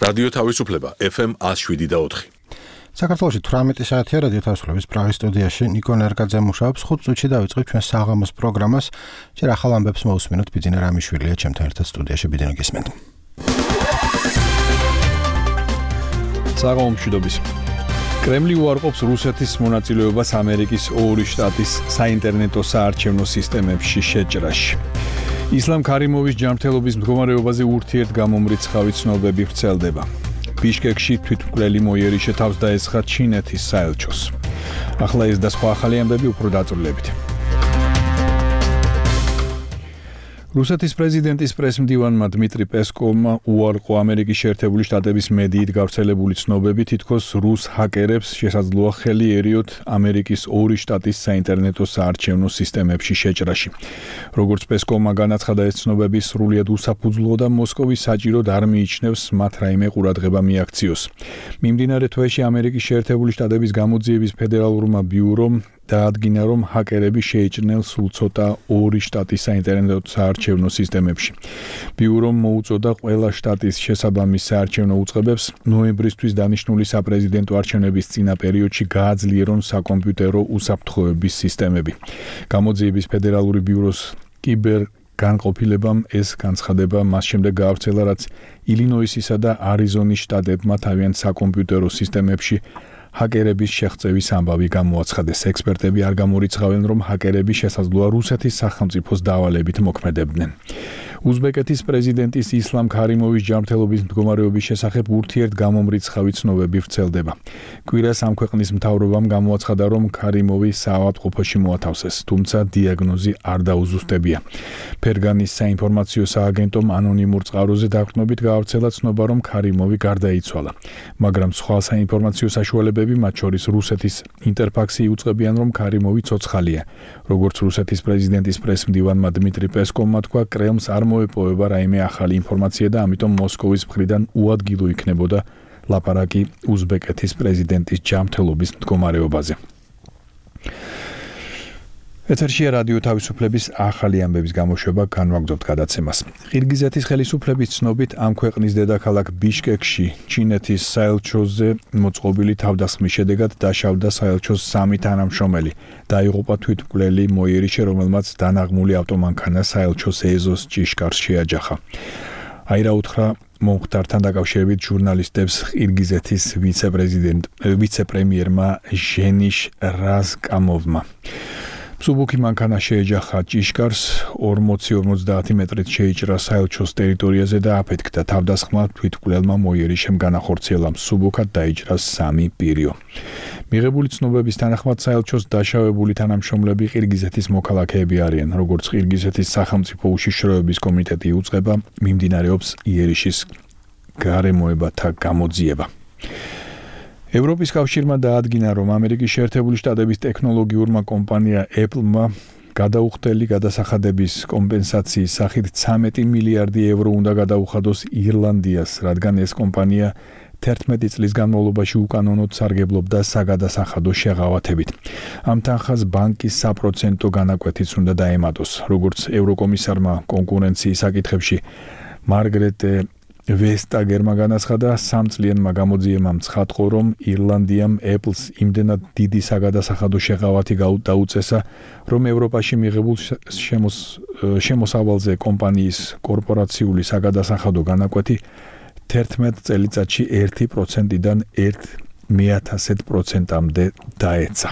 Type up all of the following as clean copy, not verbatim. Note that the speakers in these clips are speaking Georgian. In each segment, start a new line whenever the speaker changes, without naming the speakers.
რადიო თავისუფლება FM 107.4.
საქართველოში 18 საათია რადიო თავისუფლების პრაღის სტუდიაში ნიკო ნერგაძე მუშაობს. 5 წუთში დავიწყებ ჩვენ საღამოს პროგრამას. ჯერ ახალ ამბებს მოусმინოთ ბიძინა რამიშვილია ჩემთან ერთად სტუდიაში. ბიძინა გისმენთ.
საღამომშვიდობის. კრემლი უარყოფს რუსეთის მონაწილეობას ამერიკის ორი შტატის საინტერნეტო საარჩევნო სისტემებში შეჭრაში. ისლამ ქარიმოვის ჯანმრთელობის მდგომარეობაზე ურთიერთგამომრიცხავი ცნობები ვრცელდება. ბიშკეკში თვითმკვლელი მოიერიშე თავს დაესხა ჩინეთის საელჩოს. ახლა ეს და სხვა ახალი ამბები უფრო დაწვრილებით. რუსეთის პრეზიდენტის პრესმდივანმა დმიტრი პესკოვმა უარყო ამერიკის შეერთებული შტატების მედიით გავრცელებული ცნობები, თითქოს რუს ჰაკერებს შესაძლოა ხელი ერიოთ ამერიკის ორი შტატის საინტერნეტო საარჩევნო სისტემებში შეჭრაში. როგორც პესკოვმა განაცხადა, ეს ცნობები სრულიად უსაფუძვლოა და მოსკოვი საჭიროდ არ მიიჩნევს მათ რაიმე ყურადღება მიაქციოს. მიმდინარე თვეში ამერიკის შეერთებული შტატების გამოძიების ფედერალურმა ბიურომ დაადგინა, რომ ჰაკერები შეიჭრნენ სულ ცოტა ორი შტატის საინტერნეტო საარჩევნო სისტემებში. ბიურომ მოუწოდა ყველა შტატის შესაბამის საარჩევნო უწყებებს ნოემბრისთვის დანიშნული საპრეზიდენტო არჩევნების წინა პერიოდში გააძლიერონ საკომპიუტერო უსაფრთხოების სისტემები. გამოძიების ფედერალური ბიუროს კიბერგანყოფილებამ ეს განცხადება მას შემდეგ გაავრცელა, რაც ილინოისისა და არიზონის შტატებმა თავიანთ საკომპიუტერო სისტემებში ჰაკერების შეღწევის ამბავი გამოაცხადეს. ექსპერტები არ გამორიცხავენ, რომ ჰაკერები შესაძლოა რუსეთის სახელმწიფოს დავალებით მოქმედებდნენ. უზბეკეთის პრეზიდენტის ისლამ ქარიმოვის ჯანმრთელობის მდგომარეობის შესახებ ურთიერთგამომრიცხავი ცნობები ვრცელდება. კვირას ამ ქვეყნის მთავრობამ გამოაცხადა, რომ ქარიმოვი საავადმყოფოში მოათავსეს, თუმცა დიაგნოზი არ დაუზუსტებია. ფერგანის საინფორმაციო სააგენტომ ანონიმურ წყაროზე დაყრდნობით გაავრცელა ცნობა, რომ ქარიმოვი გარდაიცვალა. მაგრამ სხვა საინფორმაციო საშუალებები, მათ შორის რუსეთის ინტერფაქსი, უწყებიან, რომ ქარიმოვი ცოცხალია. როგორც რუსეთის პრეზიდენტის პრესმდივანმა დმიტრი პესკოვმა თქვა, კრემლს არ მოეპოვება რაიმე ახალი ინფორმაცია და ამიტომ მოსკოვის მხრიდან უადგილო იქნებოდა ლაპარაკი უზბეკეთის პრეზიდენტის ჯანმრთელობის მდგომარეობაზე. ეთერშია რადიო თავისუფლების ახალი ამბების გამოშვება, განვაგრძობთ გადაცემას. ყირგიზეთის ხელისუფლების ცნობით ამ ქვეყნის დედაქალაქ ბიშკეკში ჩინეთის საელჩოზე მოწყობილი თავდასხმის შედეგად დაშავდა საელჩოს 3 თანამშრომელი. დაიღუპა თვითმკვლელი მოიერიშე, რომელმაც დანაღმული ავტომანქანა საელჩოს ეზოს ჭიშკარს შეაჯახა. აირა უთხრა მომხდართან დაკავშირებით ჟურნალისტებს ყირგიზეთის ვიცე-პრემიერმა ჟენიშ რაზკამოვმა. სუბუქი მანქანა შეეჯახა ჭიშკარს, 40-50 მეტრით შეიჭრა საელჩოს ტერიტორიაზე და აფეთქდა. თავდასხმა თვითმკვლელმა მოიერიშემ განახორციელა. სუბუქად დაიჭრა 3 პირიო. მიღებული ცნობების თანახმად საელჩოს დაშავებული თანამშრომლები ყირგიზეთის მოქალაქეები არიან. როგორც ყირგიზეთის სახელმწიფო უშიშროების კომიტეტი უწყება, მიმდინარეობს იერიშის გარემოებათა გამოძიება. ევროპის კავშირმა დაადგინა, რომ ამერიკის შეერთებული შტატების ტექნოლოგიურმა კომპანია Apple-მა გადაუხდელი გადასახადების კომპენსაციის სახით 13 მილიარდი ევრო უნდა გადაუხადოს ირლანდიას, რადგან ეს კომპანია 11 წლის განმავლობაში უკანონოდ სარგებლობდა საგადასახადო შეღავათებით. ამ თანხას ბანკის საპროცენტო განაკვეთიც უნდა დაემატოს. როგორც ევროკომისარმა კონკურენციის საკითხებში მარგრეტე ვესტაგერმა განაცხადა, 3 წლიანმა გამოძიებამ ცხადყო, რომ ირლანდიამ Apple-ს იმდენად დიდი საგადასახადო შეღავათი დაუწესა, რომ ევროპაში მიღებულ შემოსავალზე კომპანიის კორპორაციული საგადასახადო განაკვეთი 11 წელიწადში 1%-დან 0.1%-მდე დაეცა.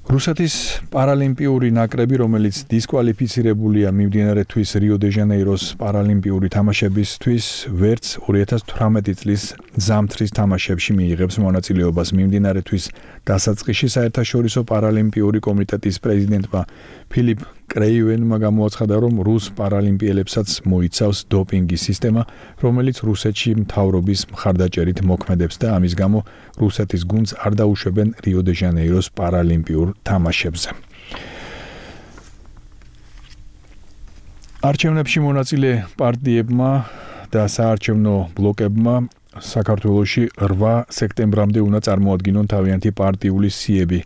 რუსეთის პარალიმპიური ნაკრები, რომელიც დისკვალიფიცირებულია მიმდინარე თვის რიო-დე-ჟანეიროს პარალიმპიური თამაშებისთვის, ვერც 2018 წლის ზამთრის თამაშებში მიიღებს მონაწილეობას. მიმდინარე თვის დასაწყისში საერთაშორისო პარალიმპიური კომიტეტის პრეზიდენტმა ფილიპ კრეივენმა გამოაცხადა, რომ რუს პარალიმპიელებსაც მოიცავს დოპინგის სისტემა, რომელიც რუსეთში მთავრობის მხარდაჭერით მოქმედებს და ამის გამო რუსეთის გუნდს არ დაუშვებენ რიო-დე-ჟანეიროს პარალიმპიურ თამაშებზე. არჩევნებში მონაწილე პარტიებმა და საარჩევნო ბლოკებმა საქართველოში 8 სექტემბრამდე უნდა წარმოადგინონ თავიანთი პარტიული სიები.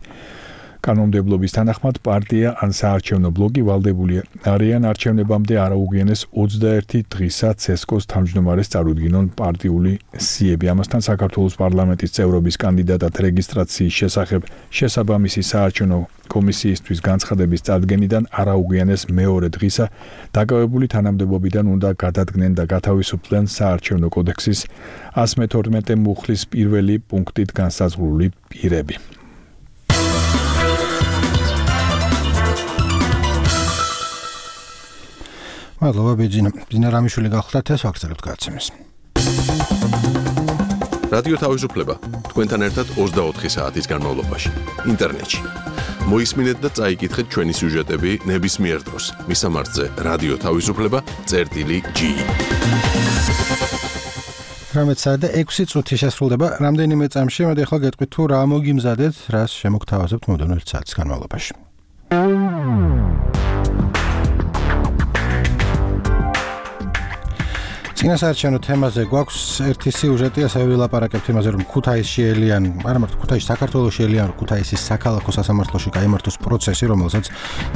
კანონმდებლობის თანახმად პარტია ან საარჩევნო ბლოკი ვალდებული არიან არჩევნებამდე არაუგიანეს 21 დღისა ცესკოს თავმჯდომარეს წარუდგინონ პარტიული სიები. ამასთან საქართველოს პარლამენტის წევრობის კანდიდატად რეგისტრაციის შესახებ შესაბამისი საარჩევნო კომისიისთვის განცხადების წარდგენიდან არაუგიანეს მეორე დღისა დაკავებული თანამდებობიდან უნდა გადადგნენ და გათავისუფლდნენ საარჩევნო კოდექსის 112 მუხლის პირველი პუნქტით განსაზღვრული პირები.
მადლობა ბიძინა რამიშვილი გახლდათ ეს ვაგრძელებთ გადაცემას.
რადიო თავისუფლება თქვენთან ერთად 24 საათის განმავლობაში ინტერნეტში. მოისმინეთ და წაიკითხეთ ჩვენი სიუჟეტები ნებისმიერ დროს. მისამართზე რადიო თავისუფლება.ge
18:06 წუთი შესრულდება რამდენიმე წამში. მე ახლა გეტყვით თუ რა მოგიმზადეთ, რას შემოგთავაზებთ მომდევნო 1 საათის განმავლობაში. წინასაარჩევნო თემაზე გვაქვს ერთი სიუჟეტი, ასევე ვილაპარაკებთ იმაზე, რომ ქუთაისში ელიან, არა მარტო ქუთაისში, საქართველოში ელიან, რომ ქუთაისის საქალაქო სასამართლოში გაიმართოს პროცესი, რომელსაც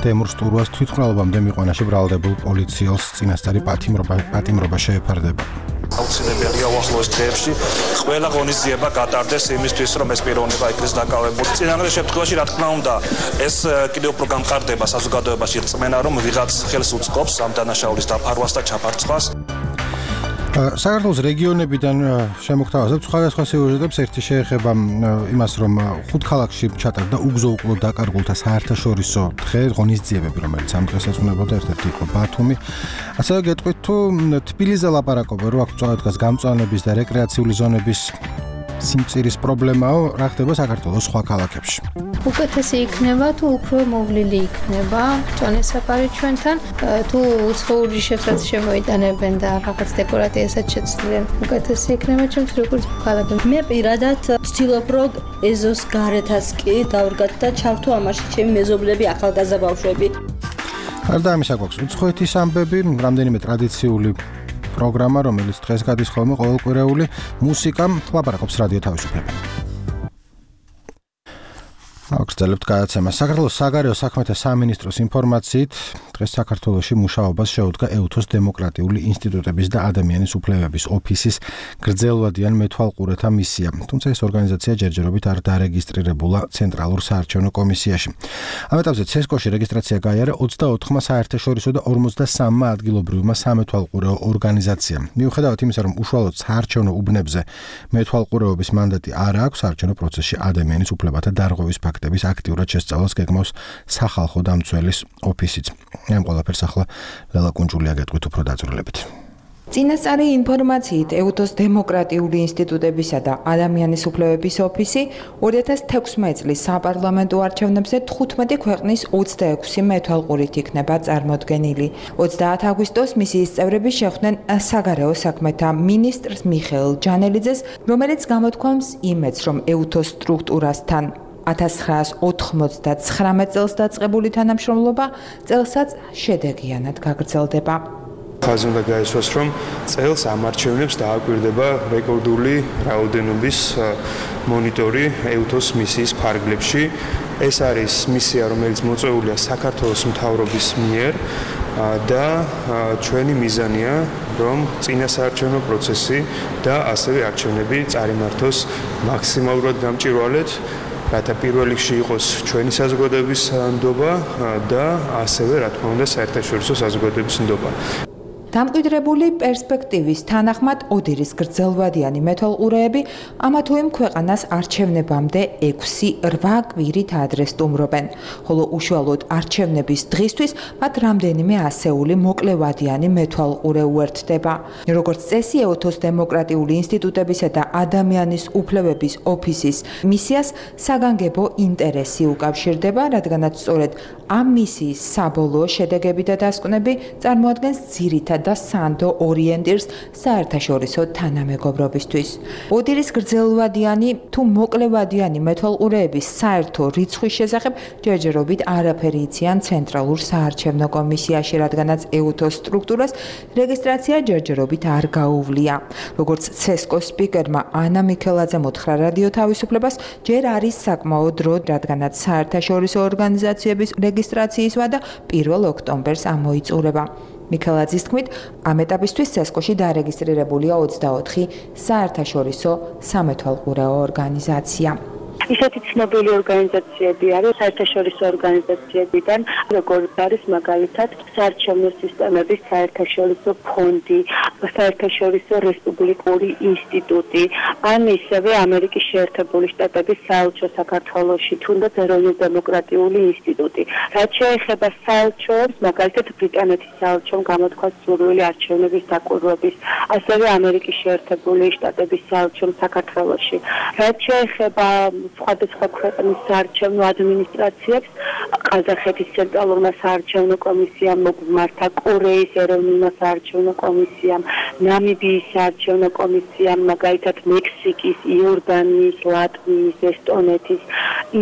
თემურ სტურვას თვითმკვლელობამდე მიყვანაში ბრალდებულ პოლიციელს წინასწარი პატიმრობა შეეფარდება.
აუცილებელია უახლოეს დღეებში ყველა ღონისძიება გატარდეს იმისთვის, რომ ეს პიროვნება იქნეს დაკავებული. წინასწარ შემთხვევაში, რა თქმა უნდა, ეს კიდევ უფრო გამყარდება საზოგადოებაში რწმენა, რომ ვიღაც ხელს უწყობს ამ დანაშაულის დაფარვას და ჩაფარცხვას.
საქართველოს რეგიონებიდან შემოგთავაზებთ სხვადასხვა სიუჟეტებს. ერთი შეეხება იმას, რომ 5 ქალაქში ჩატარდა უგზო-უკვლოდ დაკარგულთა საერთაშორისო დღე, ღონისძიებები, რომელიც ამ დღეს ეძღვნებოდა, ერთ-ერთი იყო ბათუმი. ასევე გეტყვით თუ თბილისზე ლაპარაკობა, რო აქ წავედგას გამწვანების და რეკრეაციული ზონების სიმწირის პრობლემაო, რა ხდება საქართველოს სხვა ქალაქებში.
უკეთესი იქნება თუ უფრო მოვლილი იქნება წონესაფარი ჩვენთან, თუ უცხოური შეფრაც შემოიტანებენ და რაღაც დეკორატიასაც შეცვლიან. უკეთესი იქნება ჩემთვის როგორც ქალაქი.
მე პირადად ვცდილობ რომ ეზოს გარეთაც კი დავრგათ და ჩავთო ამაში ჩემი მეზობლები, ახალგაზრდა ბავშვები.
გარდა ამისა გვაქვს უცხოეთის ამბები, რამდენიმე ტრადიციული პროგრამა, რომელიც დღეს გადის ხოლმე ყოველკვირეული მუსიკა, ლაპარაკობს რადიო თავისუფლება. აღგრძელებთ გადაცემას. საქართველოს საგარეო საქმეთა სამინისტროს ინფორმაციით, დღეს საქართველოში მუშაობას შეუდგა ეუთოს დემოკრატიული ინსტიტუტების და ადამიანის უფლებების ოფისის გრძელვადიან მეთვალყურეთა მისია. თუმცა ეს ორგანიზაცია ჯერჯერობით არ დარეგისტრირებულა ცენტრალურ საარჩევნო კომისიაში. ამ ეტაპზე ცესკოში რეგისტრაცია გაიარა 24-მა საერთაშორისო და 53-მა ადგილობრივმა სამეთვალყურეო ორგანიზაციამ. მიუხედავად იმისა, რომ უშუალოდ საარჩევნო უბნებზე მეთვალყურეობის მანდატი არ აქვს, საარჩევნო პროცესში ადამიანის უფლებათა დარღვევის ფაქტების აქტიურად შესწავლას გეგმავს სახალხო დამცველის ოფისიც. ამ ყველაფერს ახლა ლელა კუნჯულია გეტყვით უფრო დაწვრილებით.
წინასწარი ინფორმაციით ეუთოს დემოკრატიული ინსტიტუტებისა და ადამიანის უფლებების ოფისი 2016 წლის საპარლამენტო არჩევნებზე 15 ქვეყნის 26 მეთვალყურით იქნება წარმოდგენილი. 30 აგვისტოს მისიის წევრები შეხვდნენ საგარეო საქმეთა მინისტრს მიხეილ ჯანელიძეს, რომელიც გამოთქვამს იმედს, რომ ეუთოს სტრუქტურასთან 1999 წელს დაწყებული თანამშრომლობა წელსაც შედეგიანად გაგრძელდება.
ხაზი უნდა გაისვას, რომ წელს ამ არჩევნებს დააკვირდება რეკორდული რაოდენობის მონიტორი ეუთოს მისიის ფარგლებში. ეს არის მისია, რომელიც მოწვეულია საქართველოს მთავრობის მიერ და ჩვენი მიზანია, რომ წინასაარჩევნო პროცესი და ასევე არჩევნები წარიმართოს მაქსიმალურად გამჭვირვალედ, რათა პირველ რიგში იყოს ჩვენი საზოგადოების ნდობა და ასევე, რა თქმა უნდა, საერთაშორისო საზოგადოების ნდობა.
დამკვიდრებული პერსპექტივის თანახმად ოდირის გრძელვადიანი მეთვალყურეები ამა თუ იმ ქვეყანას არჩევნებამდე 6-8 კვირით ადრეს სტუმრობენ, ხოლო უშუალოდ არჩევნების დღისთვის მათ რამდენიმე ასეული მოკლევადიანი მეთვალყურე უერთდება. როგორც წესი, ეუთოს დემოკრატიული ინსტიტუტებისა და ადამიანის უფლებების ოფისის მისიას საგანგებო ინტერესი უკავშირდება, რადგანაც სწორედ ამ მისიის საბოლოო შედეგები და დასკვნები წარმოადგენს ძირითად და სანდო ორიენტირს საერთაშორისო თანამეგობრობისთვის. ოდირის გრძელვადიანი თუ მოკლევადიანი მეთვალყურეების საერთო რიცხვის შესახებ ჯერჯერობით არაფერი იციან ცენტრალურ საარჩევნო კომისიაში, რადგანაც EUTOS სტრუქტურას რეგისტრაცია ჯერჯერობით არ გაუვლია. როგორც CESCO-ს სპიკერმა ანა მიქელაძემ უთხრა რადიო თავისუფლებას, ჯერ არის საკმაო დრო, რადგანაც საერთაშორისო ორგანიზაციების რეგისტრაციის ვადა 1 ოქტომბერს ამოიწურება. მიქელაძის თქმით, ამ ეტაპისთვის CESCO-ში დარეგისტრირებულია 24 საერთაშორისო სამეთვალყურეო ორგანიზაცია.
ისეთი ცნობილი ორგანიზაციები არის საერთაშორისო ორგანიზაციებიდან, როგორც არის მაგალითად საარჩევნო სისტემების საერთაშორისო ფონდი, საერთაშორისო რესპუბლიკური ინსტიტუტი, ან ისევე ამერიკის შეერთებული შტატების საელჩო საქართველოში, თუნდაც ეროვნულ დემოკრატიული ინსტიტუტი. რაც შეეხება საელჩოებს, მაგალითად ბრიტანეთის საელჩომ გამოთქვა სურვილი არჩევნების დაკვირვების, ასევე ამერიკის შეერთებული შტატების საელჩომ საქართველოში. რაც შეეხება სხვადასხვა ქვეყნის საარჩევნო ადმინისტრაციებს, ყაზახეთის ცენტრალურმა საარჩევნო კომისიამ მოგმართა, კორეის ეროვნულმა საარჩევნო კომისიამ, ნამიბიის საარჩევნო კომისიამ, მაგალითად მექსიკის, იორდანიის, ლატვიის, ესტონეთის,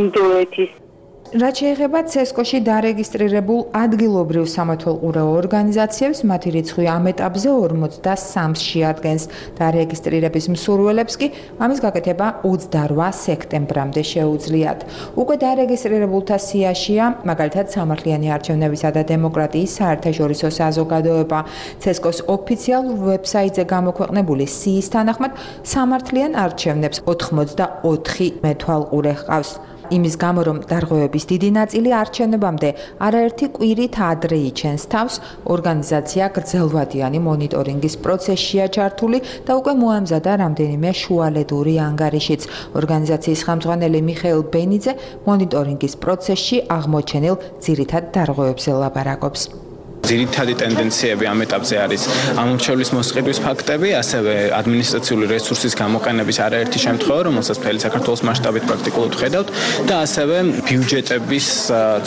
ინდოეთის.
რაც შეეხება CESCO-ში დარეგისტრირებულ ადგილობრივ სამეთვალყურეო ორგანიზაციებს, მათი რიცხვი ამ ეტაპზე 43-ს შეადგენს. დარეგისტრირების მსურველებს კი ამის გაკეთება 28 სექტემბრამდე შეუძლიათ. უკვე დარეგისტრირებულთა სიაშია, მაგალითად, სამართლიანი არჩევნებისა და დემოკრატიის საერთაშორისო საზოგადოება. CESCO-ს ოფიციალურ ვებსაიტზე გამოქვეყნებული სიის თანახმად, სამართლიან არჩევნებს 84 მეთვალყურე ჰყავს. იმის გამო, რომ დარღვევების დიდი ნაწილი არჩევნებამდე არაერთი კვირით ადრე იჩენს თავს, ორგანიზაცია გრძელვადიანი მონიტორინგის პროცესშია ჩართული და უკვე მოამზადა რამდენიმე შუალედური ანგარიშიც. ორგანიზაციის ხელმძღვანელი მიხეილ ბენიძე მონიტორინგის პროცესში აღმოჩენილ ძირითად დარღვევებზე ლაპარაკობს.
ძირითადი ტენდენციები ამ ეტაპზე არის ამორჩევლის მოსყიდვის ფაქტები, ასევე ადმინისტრაციული რესურსის გამოყენების არაერთი შემთხვევა, რომელსაც მთელი საქართველოს მასშტაბით პრაქტიკულად ხედავთ და ასევე ბიუჯეტების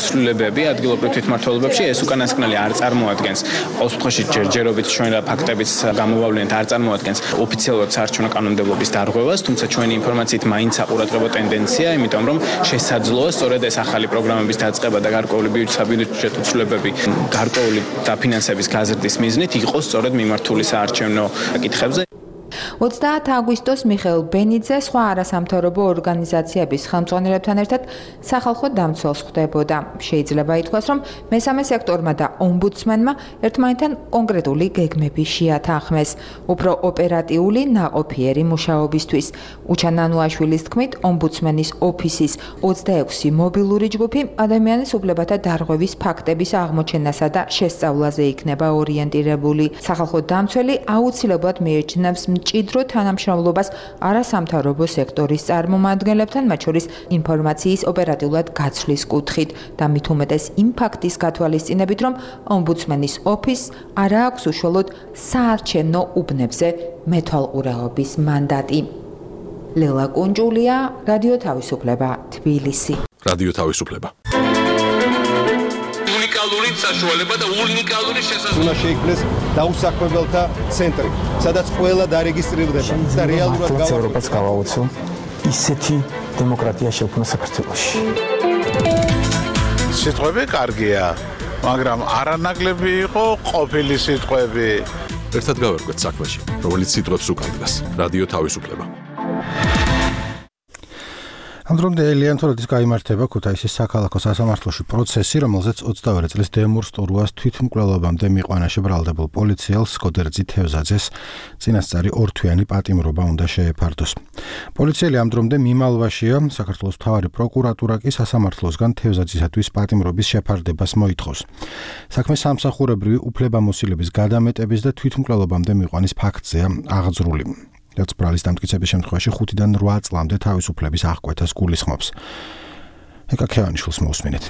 ცვლილებები ადგილობრივ თვითმმართველობებში. ეს უკანასკნელი არ წარმოადგენს, ყოველ შემთხვევაში ჯერჯერობით ჩვენ ფაქტებიც გამოვავლენთ, არ წარმოადგენს ოფიციალურად საარჩევნო კანონმდებლობის დარღვევას, თუმცა ჩვენი ინფორმაციით მაინც საყურადღებო ტენდენცია, იმიტომ რომ შესაძლოა სწორედ ეს ახალი პროგრამების დაწყება და გარკვეული საბიუჯეტო ცვლილებები გარკვეული დაფინანსების გაზრდის მიზნით იყოს სწორედ მიმართული საარჩევნო საკითხებზე.
30 აგვისტოს მიხეილ ბენიძე სხვა არასამთავრობო ორგანიზაციების ხელმძღვანელებთან ერთად სახალხო დამცველს ხვდებოდა. შეიძლება ითქვას, რომ მესამე სექტორმა და ომბუდსმენმა ერთმანეთთან კონკრეტული გეგმები შეათანხმეს, უფრო ოპერატიული ნაყოფიერი მუშაობისთვის. უჩა ნანუაშვილის თქმით, ომბუდსმენის ოფისის 26 მობილური ჯგუფი ადამიანის უფლებათა დარღვევის ფაქტების აღმოჩენასა და შესწავლაზე იქნება ორიენტირებული. სახალხო დამცველი აუცილებლად მიეჩნევს მჭიდრო თანამშრომლობას არასამთავრობო სექტორის წარმომადგენლებთან, მათ შორის ინფორმაციის ოპერატიულად გაცვლის კუთხით და მით უმეტეს იმ ფაქტის გათვალისწინებით, რომ ომბუდსმენის ოფისს არ აქვს უშუალოდ საარჩევნო უბნებზე მეთვალყურეობის მანდატი. ლელა კუნჯულია, რადიო თავისუფლება, თბილისი.
რადიო თავისუფლება.
უნიკალური საშუალება და უნიკალური შესაძლებლობა.
უნდა შეიქმნეს დაუსაქმებელთა ცენტრი, სადაც ყველა დარეგისტრირდება და რეალურად
ევროპას გავაოცო ისეთი დემოკრატია შექმნა საქართველოში.
სიტყვები კარგია, მაგრამ არანაკლები იყო ყოფილი სიტყვები.
ერთად გავერკვეთ საქმეში, რომელიც სიტყვებს უკანდგას. რადიო თავისუფლება.
ამ დრომდე ელიანთორადის გაიმართება ქუთაისის საქალაქო სასამართლოში პროცესი, რომელზეც 22 წლის დემურ სტურუას თვითმკვლელობამდე მიყვანაში ბრალდებულ პოლიციელს გოდერძი თევზაძეს წინასწარი ორთვიანი პატიმრობა უნდა შეეფარდოს. პოლიციელი ამ დრომდე მიმალვაშია, საქართველოს მთავარი პროკურატურა კი სასამართლოსგან თევზაძისათვის პატიმრობის შეფარდებას მოითხოვს. საქმე სამსახურებრივი უფლებამოსილების გადამეტების და თვითმკვლელობამდე მიყვანის ფაქტზეა აღძრული. რაც ბრალის დამტკიცების შემთხვევაში 5-დან 8 წლამდე თავისუფლების აღკვეთას გულისხმობს. ეკა ქევანიშვილს მოусმინეთ.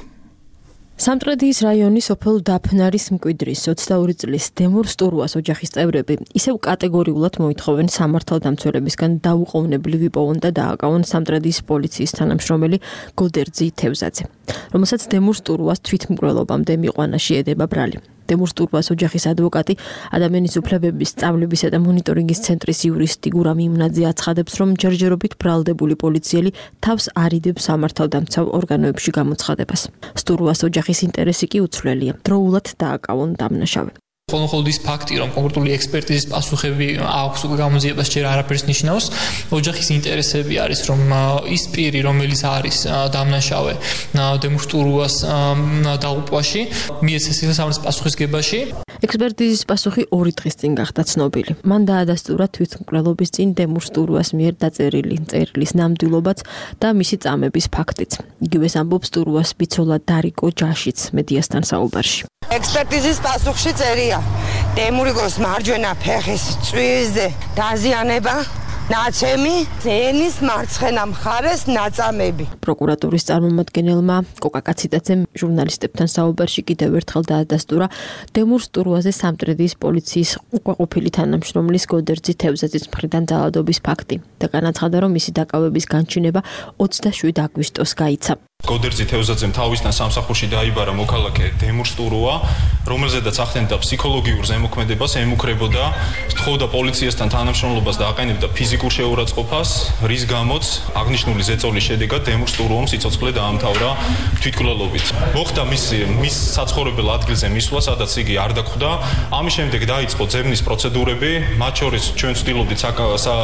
სამტრედიის რაიონის სოფელ დაფნარის მკვიდრის 22 წლის დემურ სტურუას ოჯახის წევრები ისევ კატეგორიულად მოითხოვენ სამართალდამცველებისგან დაუყოვნებლივ იპოვონ და დააკავონ სამტრედიის პოლიციის თანამშრომელი გოდერძი თევზაძე, რომელსაც დემურ სტურუას თვითმკვლელობამდე მიყვანაში ედება ბრალი. დემურ სტურვას ოჯახის ადვოკატი, ადამიანის უფლებების სწავლებისა და მონიტორინგის ცენტრის იურისტი გურამ იმნაძე აცხადებს, რომ ჯერჯერობით ბრალდებული პოლიციელი თავს არიდებს სამართალდამცავ ორგანოებში გამოცხადებას. სტურვას ოჯახის ინტერესი კი უცვლელია. დროულად დააკავონ დამნაშავე.
Ხოლმე ის ფაქტი, რომ კონკრეტული ექსპერტიზის პასუხები აქვს უკვე გამოძიებას ჯერ არაფერს ნიშნავს, ოჯახის ინტერესები არის, რომ ის პირი, რომელიც არის დამნაშავე დემურ სტურვას დაღუპვაში, მიეცეს სამართლის პასუხისგებაში.
ექსპერტიზის პასუხი 2 დღის წინ გახდა ცნობილი. მან დაადასტურა თვითმკვლელობის წინ დემურ სტურვას მიერ დაწერილი წერილის ნამდვილობაც და მისი წამების ფაქტიც. იგივეს ამბობს სტურვას ბიცოლა დარიკო ჯაშიც მედიასთან საუბარში.
ექსპერტიზის პასუხში წერია დემურიგოს მარჯვენა ფეხის წვიზე დაზიანება, ნაცემი, ენის მარცხენა მხარეს ნაწამები.
პროკურატურის წარმომადგენელმა კოკა კაციტაძემ ჟურნალისტებთან საუბარში კიდევ ერთხელ დაადასტურა დემურ სტურვაზე სამტრედიის პოლიციის უკვე ყოფილი თანამშრომლის გოდერძი თევზაძის მხრიდან ძალადობის ფაქტი და განაცხადა, რომ მისი დაკავების განჩინება 27 აგვისტოს გაიცა.
გოდერძი თევზაძემ თავისთან სამსახურში დაიბარა მოქალაქე დემურ სტურვა, რომელზედაც ახდენდა ფსიქოლოგიურ ზემოქმედებას, ემუქრებოდა, სთხოვდა პოლიციასთან თანამშრომლობას და აყენებდა ფიზიკურ შეურაცხყოფას, რის გამოც აღნიშნული ზეწოლის შედეგად დემურ სტურვამ სიცოცხლე დაამთავრა თვითმკვლელობით. მოხდა მის საცხოვრებელ ადგილზე მისვლა, სადაც იგი არ დახვდა. ამის შემდეგ დაიწყო ძებნის პროცედურები, მათ შორის ჩვენ ვცდილობდით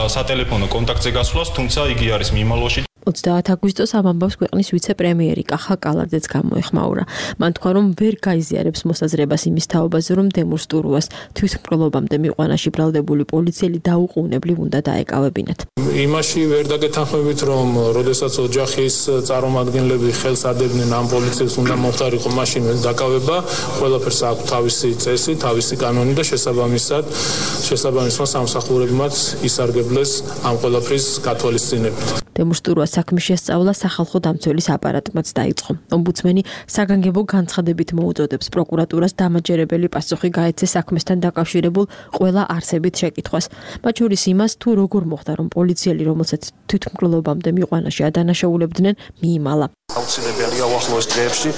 სატელეფონო კონტაქტზე გასვლას, თუმცა იგი არის მიმალვაში.
30 აგვისტოს ამ ამბავს ქვეყნის ვიცე-პრემიერი კახა კალარძეც გამოეხმაურა. მან თქვა, რომ ვერ გაიზიარებს მოსაზრებას იმის თაობაზე, რომ დემურ სტურვას თვითმკვლელობამდე მიყვანაში ბრალდებული პოლიციელი დაუყოვნებლივ უნდა დაეკავებინათ.
იმაში ვერ დაგეთანხმებით, რომ როდესაც ოჯახის წარმომადგენლები ხელს ადებდნენ ამ პოლიციელს უნდა მოხდარიყო მაშინ დაკავება, ყველაფერს აქვს თავისი წესი, თავისი კანონი და შესაბამისმა სამსახურებმაც ისარგებლეს ამ ყველაფრის გათვალისწინებით.
დემურ სტურვას საქმის შესწავლა სახალხო დამცველის აპარატმაც დაიწყო. ომბუდსმენი საგანგებო განცხადებით მოუწოდებს პროკურატურას დამაჯერებელი პასუხი გაეცეს საქმესთან დაკავშირებულ ყველა არსებით შეკითხვას. მათ შორის იმას, თუ როგორ მოხდა, რომ პოლიციელი, რომელსაც თვითმკვლელობამდე მიყვანაში ადანაშაულებდნენ, მიიმალა.
აუცილებელია უახლოეს დღეებში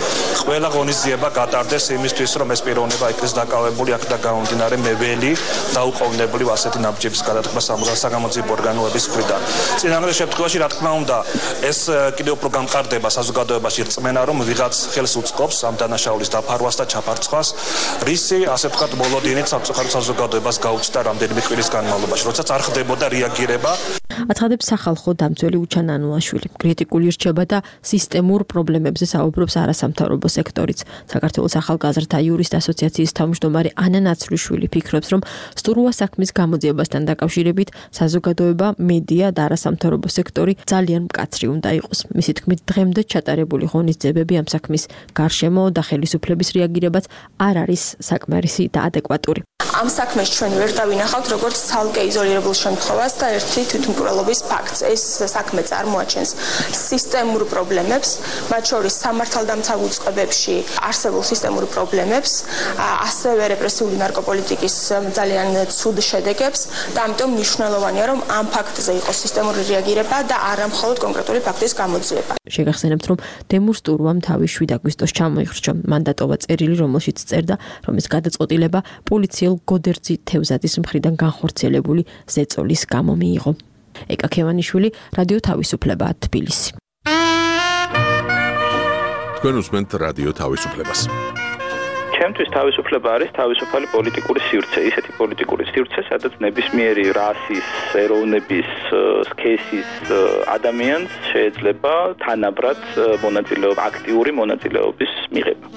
ყველა ღონისძიება გატარდეს იმისთვის, რომ ეს პიროვნება იქნეს დაკავებული აქ და გამომდინარე მეველი დაუყოვნებლივ ასეთი ნაბიჯების გადადგმა საგამოძიებო ორგანოების მხრიდან. წინააღმდეგ შემთხვევაში, რა თქმა უნდა, ეს კიდევ უფრო გამყარდება საზოგადოებაში რწმენა, რომ ვიღაც ხელს უწყობს ამ დანაშაულის დაფარვას და ჩაფარცხვას, რისი, ასე ვთქვათ, მოლოდინით სამწუხაროდ საზოგადოებას გაუჩნდა რამდენიმე კვირის განმავლობაში, როდესაც არ ხდებოდა რეაგირება.
აცხადებს სახალხო დამცველი უჩან ანუაშვილი. კრიტიკული რჩება და სისტემურ პრობლემებზე საუბრობს არასამთავრობო სექტორიც. საქართველოს ახალგაზრდა იურისტ ასოციაციის თავმჯდომარე ანა ნაცრიშვილი ფიქრობს, რომ სტურვას საქმის გამოძიებასთან დაკავშირებით საზოგადოება, მედია და არასამთავრობო სექტორი ძალიან მკაცრი უნდა იყოს. მისი თქმით, დღემდე ჩატარებული ღონისძიებები ამ საქმის გარშემო და ხელისუფლების რეაგირებაც არ არის საკმარისი და ადეკვატური.
ამ საქმეს ჩვენ ვერ დავინახავთ როგორც ცალკე იზოლირებულ შემთხვევას და ერთი თვითმკვლელობის ფაქტს. ეს საქმე წარმოაჩენს სისტემურ პრობლემებს, მათ შორის სამართალდამცავ უწყებებში არსებულ სისტემურ პრობლემებს, ასევე რეპრესიული ნარკოპოლიტიკის ძალიან ცუდ შედეგებს და ამიტომ მნიშვნელოვანია, რომ ამ ფაქტზე იყოს სისტემური რეაგირება და არა მხოლოდ კონკრეტული ფაქტის გამოძიება.
შეგახსენებთ, რომ დემურ სტურვამ თავის 7 აგვისტოს ჩამოიხრჩა. მან დატოვა წერილი, რომელშიც წერდა, რომ ეს გადაწყვეტილება პოლიციელ გოდერძი თევზაძის მხრიდან განხორციელებული ზეწოლის გამო მიიღო. ეკა ქევანიშვილი, რადიო თავისუფლება, თბილისი.
თქვენ უსმენთ რადიო თავისუფლებას.
ჩემთვის თავისუფლება არის თავისუფალი პოლიტიკური სივრცე, ისეთი პოლიტიკური სივრცე, სადაც ნებისმიერი რასის, ეროვნების, სქესის ადამიანს შეიძლება თანაბრად აქტიური მონაწილეობის მიღება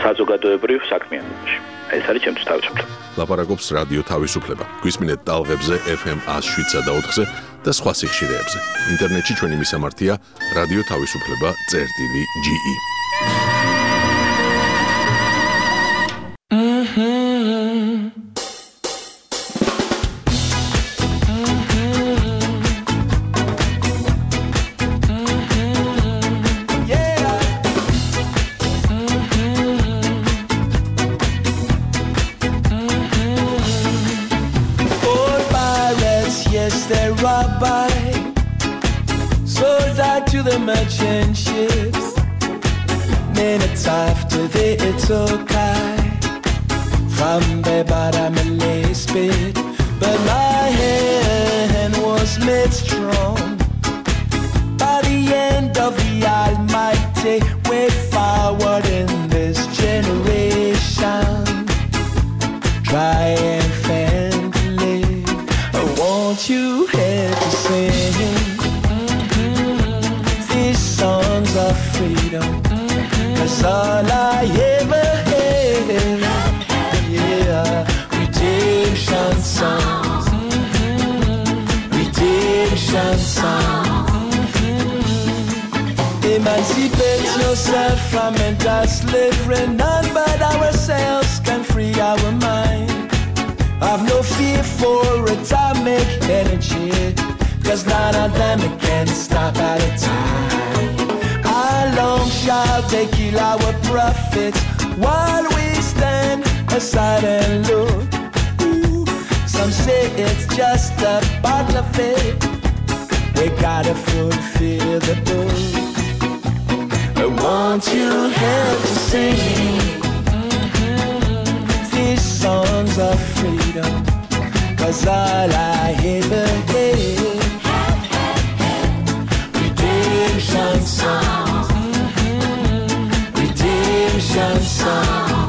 საზოგადოებრივ საქმიანობაში. ეს არის ჩემთვის თავისუფლება.
ლაპარაკობს რადიო თავისუფლება. გვისმინეთ ტალღებზე FM 107 და 4-ზე და სხვა სიხშირეებზე. ინტერნეტში ჩვენი მისამართია რადიო თავისუფლება.ge.
The merchant ships, minutes after they took high, Rambe baramele spit, but my hand was made strong. By the end of the Almighty, way forward in this generation. Triumphantly, I want you here to sing these songs of freedom. 'Cause all I ever had, yeah, redemption songs, redemption songs. Emancipate yourself from mental slavery. None but ourselves can free our mind. I've no fear for atomic energy, 'cause none of them can stop at a time. How long shall they kill our prophets while we stand aside and look? Ooh, some say it's just a part of it. We gotta fulfill the book. I want you here to sing these songs of freedom, 'cause all I ever get, redemption songs, redemption songs.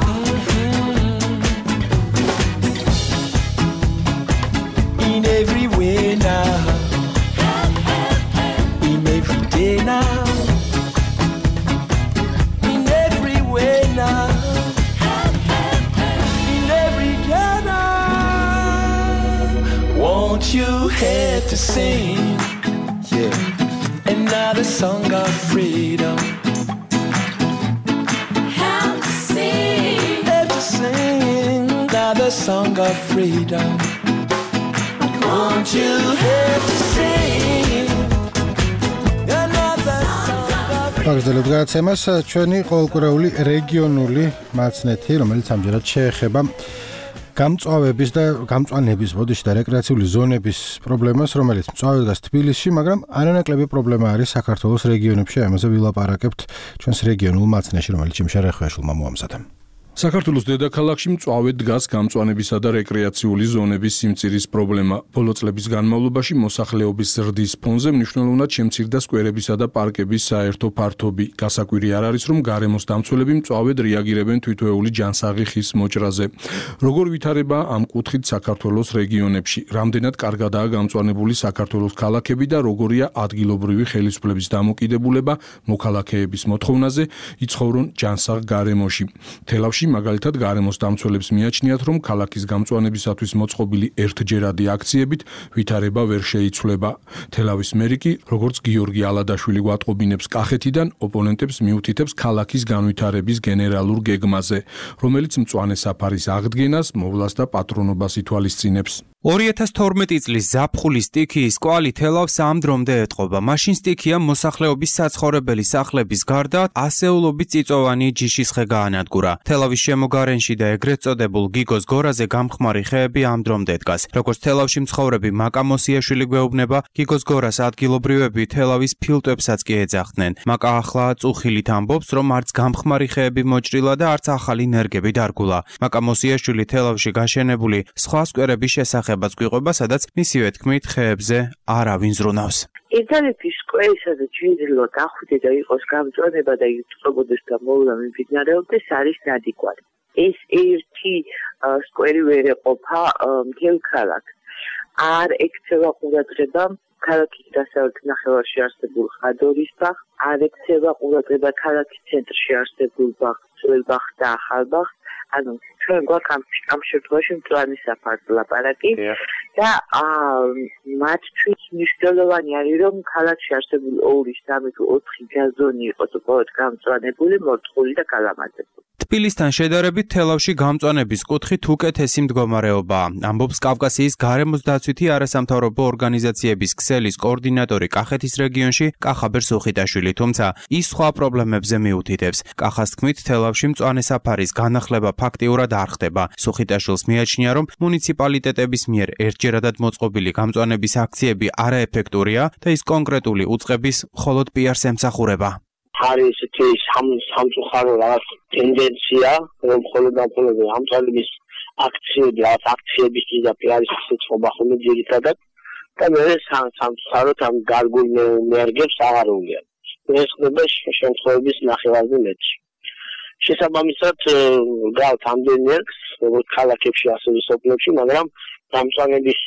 In every way now, in every day now, in every way now. Want you here to sing, yeah, another song of freedom. Have to sing, another song of freedom. Want you here to sing, another song of freedom.
აგრძელებთ გადაცემას ჩვენი ყოველკვირეული რეგიონული მაცნეთი, რომელიც ამჯერად შეეხება გამწვავების და გამწვანების ბოდიში და რეკრეაციული ზონების პრობლემას, რომელიც მწვავე დგას თბილისში, მაგრამ არანაკლები პრობლემა არის საქართველოს რეგიონებში. ამაზე ვილაპარაკებთ ჩვენს რეგიონულ მაცნეში, რომელიც იმშა რეხვეაშვილმა მოამზადა.
საქართველოს დედაქალაქში მწვავე დგას გამწვანებისა და რეკრეაციული ზონების სიმწირის პრობლემა. ბოლო წლების განმავლობაში მოსახლეობის ზრდის ფონზე მნიშვნელოვნად შემცირდა სკვერებისა და პარკების საერთო ფართობი. გასაკვირი არ არის, რომ გარემოს დამცველები მწვავედ რეაგირებენ თვითვეული ჯანსაღი ხის მოჭრაზე. როგორ ვითარება ამ კუთხით საქართველოს რეგიონებში? რამდენად კარგადაა გამწვანებული საქართველოს ქალაქები და როგორია ადგილობრივი ხელისუფლების დამოკიდებულება მოქალაქეების მოთხოვნაზე იცხოვრონ ჯანსაღ გარემოში? თელავში მაგალითად გარემოს დამცველებს მიაჩნიათ, რომ ქალაქის გამწვანებისათვის მოწყობილი ერთჯერადი აქციებით ვითარება ვერ შეიცვლება. თელავის მერი კი, როგორც გიორგი ალადაშვილი გვატყობინებს კახეთიდან, ოპონენტებს მიუთითებს ქალაქის განვითარების გენერალურ გეგმაზე, რომელიც მწვანე საფარის აღდგენას, მოვლას და პატრონობას ითვალისწინებს.
2012 წლის ზაფხულის სტიქიის კვალი თელავს ამ დრომდე ეტყობა. მაშინ სტიქია მოსახლეობის საცხოვრებელი სახლების გარდა ასეულობით წიწოვანი ჯიშის ხე გაანადგურა. თელავის შემოგარენში და ეგრეთ წოდებულ გიგოს გორაზე გამხმარი ხეები ამ დრომდე დგას. როგორც თელავში მცხოვრები მაკა მოსიაშვილი გვეუბნება, გიგოს გორას ადგილობრივები თელავის ფილტვებსაც კი ეძახდნენ. მაკა ახლა წუხილით ამბობს, რომ არც გამხმარი ხეები მოჭრილა და არც ახალი ნერგები დარგულა. მაკა მოსიაშვილი თელავში გაშენებული სხვა სკვერების შესახებ გვიყვება, სადაც მისივე თქმით ხეებზე არავინ ზრუნავს.
ერთადერთი სკვერი, სადაც შეიძლება დახვიდე და იყოს გამწვანება და იწყვებოდეს და მოვლა მიმდინარეობდეს, არის ნადიგვარი. ეს ერთი სკვერი ვერ ეყოფა მთელ ქალაქს. არ ექცევა ყურადღება ქალაქის დასავლეთ ნახევარში არსებულ ხადორის ბაღს, არ ექცევა ყურადღება ქალაქის ცენტრში არსებულ ბაღს, ძველ ბაღს და ახალ ბაღს. ანუ ჩვენ გვაქვს ამ შემთხვევაში მწვანე საფარს ლაპარაკი და მათთვის მნიშვნელოვანი არის, რომ ქალაქში არსებული 2, 3 თუ 4 გაზონი იყოს უბრალოდ გამწვანებული, მორწყული და გალამაზებული.
თბილისთან შედარებით თელავში გამწვანების კუთხით უკეთესი მდგომარეობაა, ამბობს კავკასიის გარემოს დაცვითი არასამთავრობო ორგანიზაციების ქსელის კოორდინატორი კახეთის რეგიონში კახაბერ სუხიტაშვილი, თუმცა ის სხვა პრობლემებზე მიუთითებს. კახას თქმით, თელავში მწვანე საფარის განახლება ფაქტიურად არ ხდება. სუხიტაშვილს მიაჩნია, რომ მუნიციპალიტეტების მიერ ერთჯერადად მოწყობილი გამწვანების აქციები არაეფექტურია და ის კონკრეტული უწყების მხოლოდ პიარს ემსახურება.
არის ეს სამწუხარო რაღაც ტენდენცია, რომ მხოლოდ ამ ამწვანების
აქციებისთვის და პიარისთვის ხობახული ძირითადად და მე სამწუხაროდ ამ გარგულ ენერგიებს აღარ უნდიან. ეს ხდება შემთხვევების ნახევარზე მეტში. შესაბამისად გავთ ამდენ ენერგს, როგორც ქალაქებში, ასევე სოფლებში, მაგრამ დამწვანების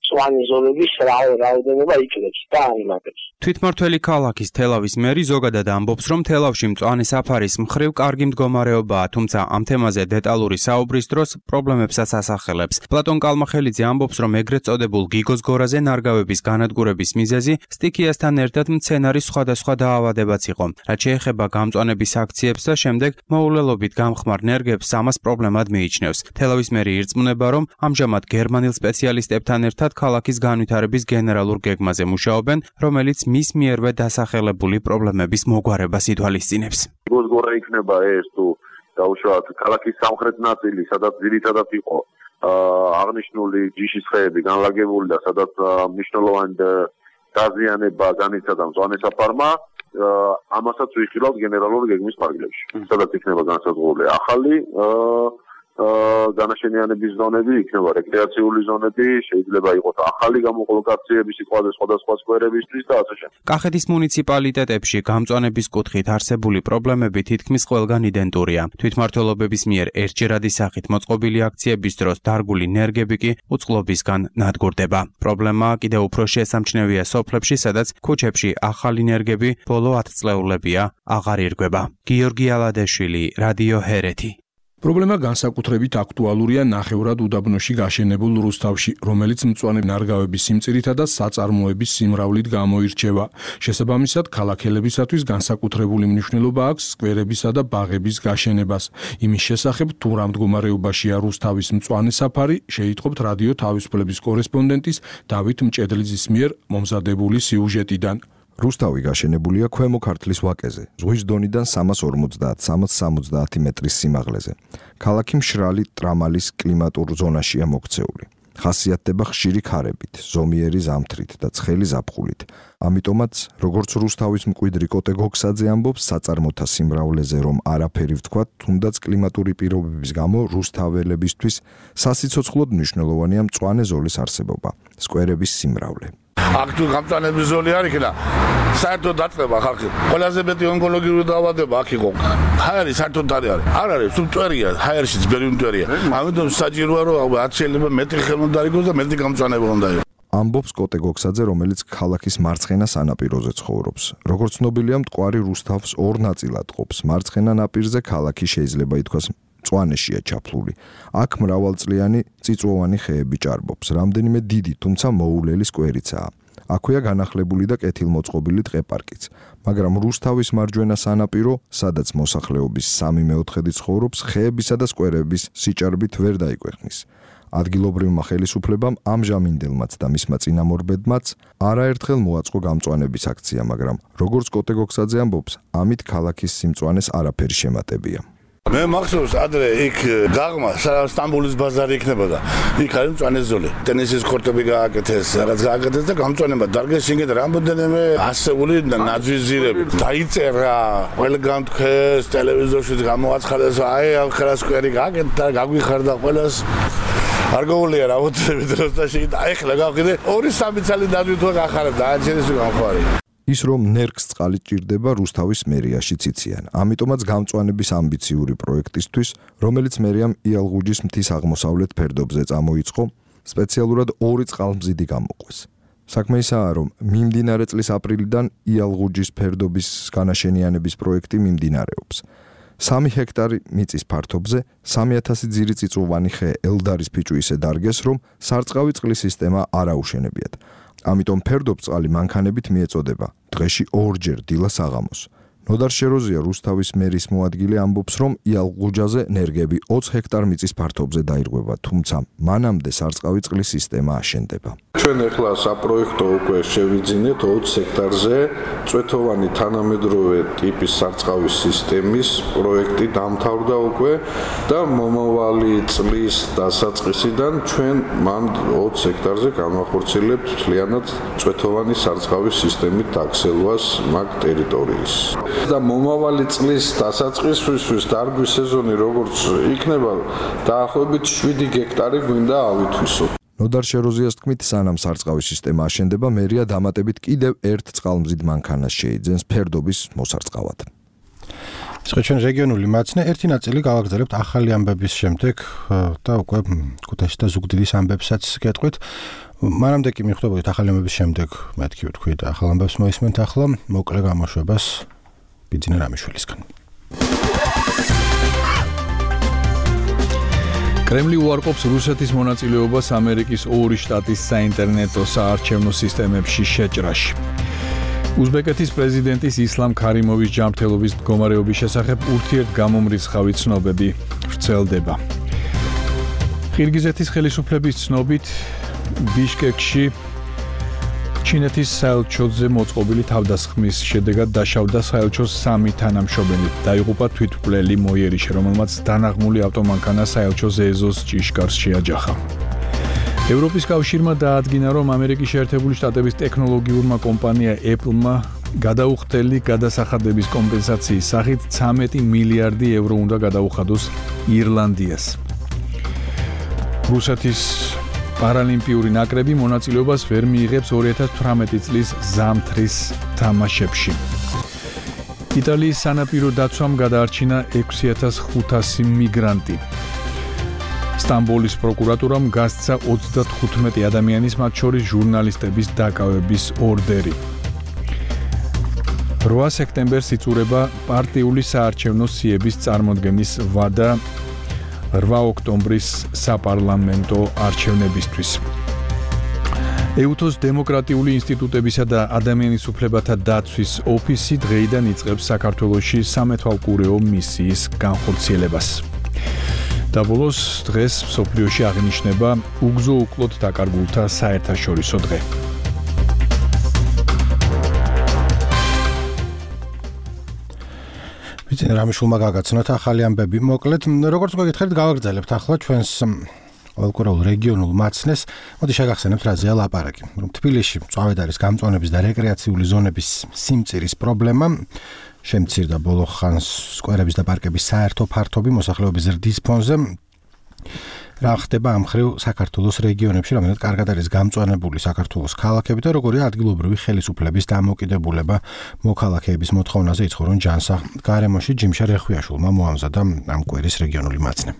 მწვანე ზოლების რაოდენობა იკლებს და აიმატებს.
თვითმმართველი ქალაქის თელავის მერი ზოგადად ამბობს, რომ თელავში მწვანე საფარის მხრივ კარგი მდგომარეობაა, თუმცა ამ თემაზე დეტალური საუბრის დროს პრობლემებსაც ასახელებს. პლატონ კალმახელიძე ამბობს, რომ ეგრეთ წოდებულ გიგოს გორაზე ნარგავების განადგურების მიზეზი სტიქიასთან ერთად მცენარის სხვადასხვა დაავადებაც იყო. რაც შეეხება გამწვანების აქციებს და შემდეგ მოულელობით გამხმარ ნერგებს ამას პრობლემად მიიჩნევს. თელავის მერი ირწმუნება, რომ ამჟამად გერმანელ სპეციალისტებთან ერთად ქალაქის განვითარების გენერალურ გეგმაზე მუშაობენ, რომელიც მის მიერვე დასახელებული პრობლემების მოგვარებას ითვალისწინებს.
გორა იქნება ეს თუ დაუშვათ ქალაქის სამხრეთ ნაწილი, სადაც ძირითადად იყო აღნიშნული ჯიშის ხეები განლაგებული და სადაც მნიშვნელოვანი დაზიანება განიცადა მწვანე საფარმა, ამასაც ვიხილავთ გენერალური გეგმის ფარგლებში. სადაც იქნება განსაზღვრული ახალი განაშენიანების ზონები, იქნება რეკრეაციული ზონები, შეიძლება იყოს ახალი გამოკოლოკაციები სხვადასხვა სკვერებისთვის და ასე შემდეგ.
კახეთის მუნიციპალიტეტებში გამწვანების კუთხით არსებული პრობლემები თითქმის ყველგან იდენტურია. თვითმმართველობების მიერ ერთჯერადი სახით მოწყობილი აქციების დროს დარგული ნერგები კი უწყლობისგან ნადგურდება. პრობლემა კიდევ უფრო შესამჩნევია სოფლებში, სადაც ქუჩებში ახალი ნერგები ბოლო 10 წლეულებია აღარ ირგვება. გიორგი ალადეშვილი, რადიო ჰერეთი.
პრობლემა განსაკუთრებით აქტუალურია ნახევრად უდაბნოში გაშენებულ რუსთავში, რომელიც მწვანე ნარგავების სიმწირითა და საწარმოების სიმრავლით გამოირჩევა. შესაბამისად, ქალაქელებისათვის განსაკუთრებული მნიშვნელობა აქვს სკვერებისა და ბაღების გაშენებას. იმის შესახებ, თუ რა მდგომარეობაშია რუსთავის მწვანე საფარი, შეიტყობთ რადიო თავისუფლების კორესპონდენტის დავით მჭედლიძის მიერ მომზადებული სიუჟეტიდან.
რუსთავი გაშენებულია ქვემო ქართლის ვაკეზე, ზღვის დონიდან 350-370 მეტრის სიმაღლეზე. ქალაქი მშრალი ტრამალის კლიმატურ ზონაშია მოქცეული. ხასიათდება ხშირი ქარებით, ზომიერი ზამთრით და ცხელი ზაფხულით. ამიტომაც, როგორც რუსთავის მკვიდრი კოტე გოგსაძე ამბობს, საწარმოთა სიმრავლეზე რომ არაფერი ვთქვათ, თუნდაც კლიმატური პირობების გამო რუსთაველებისთვის სასიცოცხლოდ მნიშვნელოვანია მწვანე ზოლის არსებობა, სკვერების სიმრავლე.
აქ თუ გამწვანების ზოლი არ იქნა, საერთოდ დაწყება ხალხი. ყველაზე მეტი ონკოლოგიური დაავადება აქ იყო. ჰაერი საერთოდ არ არის. არ არის, თუ მტვერია, ჰაერშიც ბერი მტვერია. ამიტომ საჭიროა რომ რაც შეიძლება მეტი ხელმონდა იყოს და მეტი გამწვანება უნდა იყოს.
ამბობს კოტე გოგსაძე, რომელიც ქალაქის მარცხენა სანაპიროზე ცხოვრობს. როგორც ცნობილია, მტკვარი რუსთავს ორ ნაწილად ყოფს. მარცხენა ნაპირზე ქალაქი შეიძლება ითქვას მწვანეშია ჩაფლული. აქ მრავალწლიანი წიწვოვანი ხეები ჭარბობს, რამდენიმე დიდი, თუმცა მოულელი სკვერიცაა. აქვეა განახლებული და კეთილმოწყობილი ტყეპარკიც, მაგრამ რუსთავის მარჯვენა სანაპირო, სადაც მოსახლეობის 3/4 ცხოვრობს, ხეებისა და სკვერების სიჭარბით ვერ დაიკვეხნის. ადგილობრივმა ხელისუფლებამ ამჟამინდელმაც და მისმა წინამორბედმაც არაერთხელ მოაწყო გამწვანების აქცია, მაგრამ როგორც კოტე გოგსაძე ამბობს, ამით ქალაქის სიმწვანეს არაფერი შემატებია.
მე მახსოვს ადრე იქ გაღმა სტამბოლის ბაზარი იქნებოდა. იქ არის მწვანე ზოლი. ტენისის კორტები გააკეთეს, რაღაც გააკეთეს და გამწვანება დარგეს შიგნით რამოდენიმე ასეული ნაძვიზირები. დაიწერა, ყველგან თქვეს, ტელევიზორშიც გამოაცხადეს, აი ამ ხელასკვერი გააკეთა, გაგვიხარდა ყველას. არ გოულია რაოდენობით დროს და შეგ და ეხლა გავხიდე 2-3 წელი დადვით ვახარებ და აჩენის გამხარი.
ის რომ ნერგს წყალი ჭირდება რუსთავის მერიაშიც იციან. ამიტომაც გამწვანების ამბიციური პროექტისთვის, რომელიც მერიამ იალღუჯის მთის აღმოსავლეთ ფერდობზე წამოიწყო, სპეციალურად 2 წყალმზიდი გამოყვეს. საქმე ისაა, რომ მიმდინარე წლის აპრილიდან იალღუჯის ფერდობის განაშენიანების პროექტი მიმდინარეობს. 3 ჰექტარი მიწის ფართობზე 3000 ძირი წიწვოვანი ხე ელდარის ფიჭვისე დარგეს, რომ სარწყავი წყლის სისტემა არ აუშენებიათ. ამიტომ ფერდობწყალი მანქანებით მიეწოდება, დღეში 2-ჯერ დილას საღამოს. ნოდარ შეროზია რუსთავის მერის მოადგილე ამბობს, რომ იალღუჯაზე ნერგები 20 ჰექტარ მიწის ფართობზე დაირღვევა, თუმცა მანამდე სარწყავი წყლის სისტემა აშენდება.
ჩვენ ახლა საპროექტო უკვე შევიძინეთ 20 ჰექტარზე წვეთოვანი თანამედროვე ტიპის სარწყავის სისტემის პროექტი დამთავრდა უკვე და მომავალი წლის დასაწყისიდან ჩვენ მან 20 ჰექტარზე განვახორციელებთ მთლიანად წვეთოვანი სარწყავის სისტემით დაქსელვას მაგ ტერიტორიის. და მომავალი წლის დასაწყისისთვის დარგვის სეზონი როგორც იქნება, დაახლოებით 7 გექტარი გვინდა ავითვისოთ.
ნოდარ შეროზიას თქმით, სანამ სარწყავი სისტემა აშენდება, მერია დამატებით კიდევ ერთ წყალმზიდ მანქანას შეიძენს ფერდობის მოსარწყავად.
ჩვენ რეგიონული მაცნე ერთი ნაწილი გავაგრძელებთ ახალი ამბების შემდეგ და უკვე ქუთაისში და ზუგდიდის ამბებსაც გეტყვით. მანამდე კი მიხვდებოდით ახალი ამბების შემდეგ მეთქი ვთქვი და ახალ ამბებს მოისმენთ ახლა მოკლე გამოშვებას ბიძინა რამიშვილისგან.
კრემლი უარყოფს რუსეთის მონაწილეობას ამერიკის 2 შტატის საინტერნეტო საარჩევნო სისტემებში შეჭრაში. უზბეკეთის პრეზიდენტის ისლამ ქარიმოვის ჯანმრთელობის მდგომარეობის შესახებ ურთიერთგამომრიცხავი ცნობები ვრცელდება. ყირგიზეთის ხელისუფლების ცნობით ბიშკეკში ჩინეთის საელჩოზე მოწყობილი თავდასხმის შედეგად დაშავდა საელჩოს 3 თანამშრომელი. დაიღუპა თვითმკვლელი მოიერიშე, რომელმაც დანაღმული ავტომანქანა საელჩოს ეზოს ჭიშკარს შეაჯახა. ევროპის კავშირმა დაადგინა, რომ ამერიკის შეერთებული შტატების ტექნოლოგიურმა კომპანია Apple-მა გადაუხდელი გადასახადების კომპენსაციის სახით 13 მილიარდი ევრო უნდა გადაუხადოს ირლანდიას. რუსეთის პარალიმპიური ნაკრები მონაწილეობას ვერ მიიღებს 2018 წლის ზამთრის თამაშებში. იტალიის სანაპირო დაცვამ გადაარჩინა 6500 მიგრანტი. სტამბოლის პროკურატურამ გასცა 35 ადამიანის, მათ შორის ჟურნალისტების დაკავების ორდერი. 8 სექტემბერს იწურება პარტიული საარჩევნო სიების წარმოდგენის ვადა 8 ოქტომბრის საპარლამენტო არჩევნებისთვის. ეუთოს დემოკრატიული ინსტიტუტებისა და ადამიანის უფლებათა დაცვის ოფისი დღეიდან იწყებს საქართველოში სამეთვალყურეო მისიის განხორციელებას. და ბოლოს დღეს მსოფლიოში აღინიშნება უგზო უკლოდ დაკარგულთა საერთაშორისო დღე.
ვიცი რამიშულმა გაგაცნოთ ახალი ამბები. მოკლედ, როგორც გეკითხეთ, გავაგრძელებთ ახლა ჩვენს ყოველკვირეულ რეგიონულ მაცნეს. მოდი შეგახსენებთ რაზეა ლაპარაკი. რომ თბილისში მწვავედ არის გამწვანების და რეკრეაციული ზონების სიმწირის პრობლემა. შემცირდა ბოლო ხანს სკვერების და პარკების საერთო ფართობი მოსახლეობის ზრდის ფონზე. რა ხდება ამ ხრივ საქართველოს რეგიონებში, რომელთაც კარგად არის გამწვანებული საქართველოს ქალაქები და როგორია ადგილობრივი ხელისუფლების დამოუკიდებულება მოქალაქეების მოთხოვნაზე იცხოვრონ ჯანსა. გარემოში ჯიმშა რეხვიაშვილმა მოამზადა ამ კვირის რეგიონული მაცნე.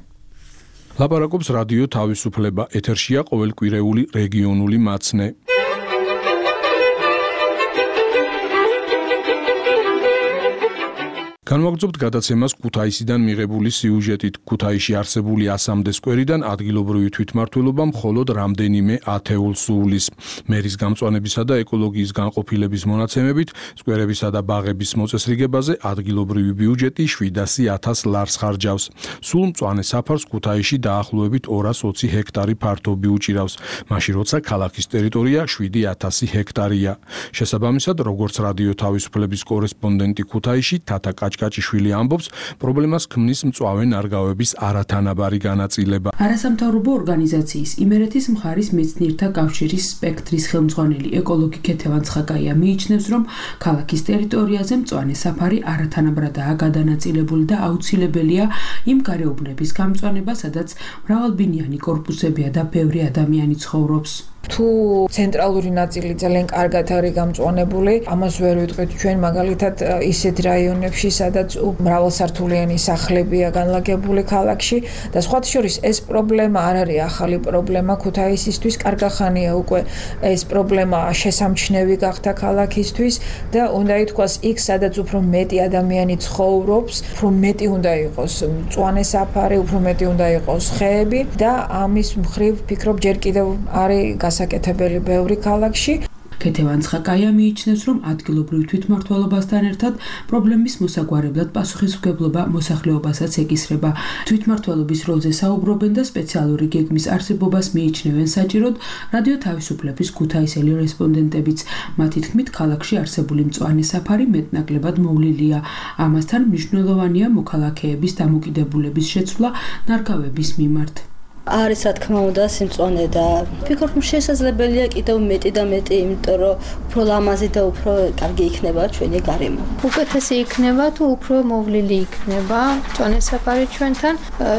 ლაპარაკობს რადიო თავისუფლება, ეთერშია ყოველკვირეული რეგიონული მაცნე. განვაგრძობთ გადაცემას ქუთაისიდან მიღებული სიუჟეტით. ქუთაისში არსებული 100-მდე სკვერიდან ადგილობრივი თვითმმართველობა მხოლოდ რამდენიმე ათეულს სუვლის. მერის გამწვანებისა და ეკოლოგიის განყოფილების მონაცემებით, სკვერებისა და ბაღების მოწესრიგებაზე ადგილობრივი ბიუჯეტი 700.000 ლარს ხარჯავს. სულ მწვანე საფარს ქუთაისში დაახლოებით 220 ჰექტარი ფართობი უჭირავს, მაშინ როცა ქალაქის ტერიტორია 7000 ჰექტარია. შესაბამისად, როგორც რადიო თავისუფლების კორესპონდენტი ქუთაისში თათა კაჭკაჭიშვილი ამბობს, პრობლემას ქმნის მწვავე ნარგავების არათანაბარი განაწილება.
არასამთავრობო ორგანიზაციის იმერეთის მხარის მეცნიერთა კავშირის სპექტრის ხელმძღვანელი ეკოლოგი ქეთევან ცხაკაია მიიჩნევს, რომ ქალაქის ტერიტორიაზე მწვანე საფარი არათანაბრადაა გადანაწილებული და აუცილებელია იმ გარეუბნების გამწვანება, სადაც მრავალბინიანი კორპუსებია და ბევრი ადამიანი ცხოვრობს.
თუ ცენტრალური ნაწილი ძალიან კარგად არის გამწვანებული, ამას ვერ ვიტყვით ჩვენ მაგალითად ისეთ რაიონებში, სადაც მრავალსართულიანი სახლებია განლაგებული ქალაქში და სხვათა შორის ეს პრობლემა არ არის ახალი პრობლემა ქუთაისისთვის, კარგი ხანია უკვე ეს პრობლემა შესამჩნევი გახდა ქალაქისთვის და უნდა ითქვას იქ, სადაც უფრო მეტი ადამიანი ცხოვრობს, უფრო მეტი უნდა იყოს მწვანე საფარი, უფრო მეტი უნდა იყოს ხეები და ამის მხრივ ვფიქრობ ჯერ კიდევ არის გასაკეთებელი ბევრი ქალაქში.
ქეთევან ცხაკაია მიიჩნევს, რომ ადგილობრივ თვითმმართველობასთან ერთად პრობლემის მოსაგვარებლად პასუხისმგებლობა მოსახლეობასაც ეკისრება. თვითმმართველობის როლზე საუბრობენ და სპეციალური გეგმის არსებობას მიიჩნევენ საჭიროდ რადიო თავისუფლების ქუთაისელი რესპონდენტებიც. მათი თქმით, ქალაქში არსებული მწვანე საფარი მეტნაკლებად მოვლილია. ამასთან მნიშვნელოვანია მოქალაქეების დამოკიდებულების შეცვლა ნარგავების მიმართ.
არის რა თქმა უნდა სიმწვანე და ვფიქრობ რომ შესაძლებელია კიდევ მეტი და მეტი, იმიტომ რომ უფრო ლამაზი და უფრო კარგი იქნება ჩვენი გარემო.
უკეთესი იქნება თუ უფრო მოვლილი იქნება მწვანე საფარი ჩვენთან,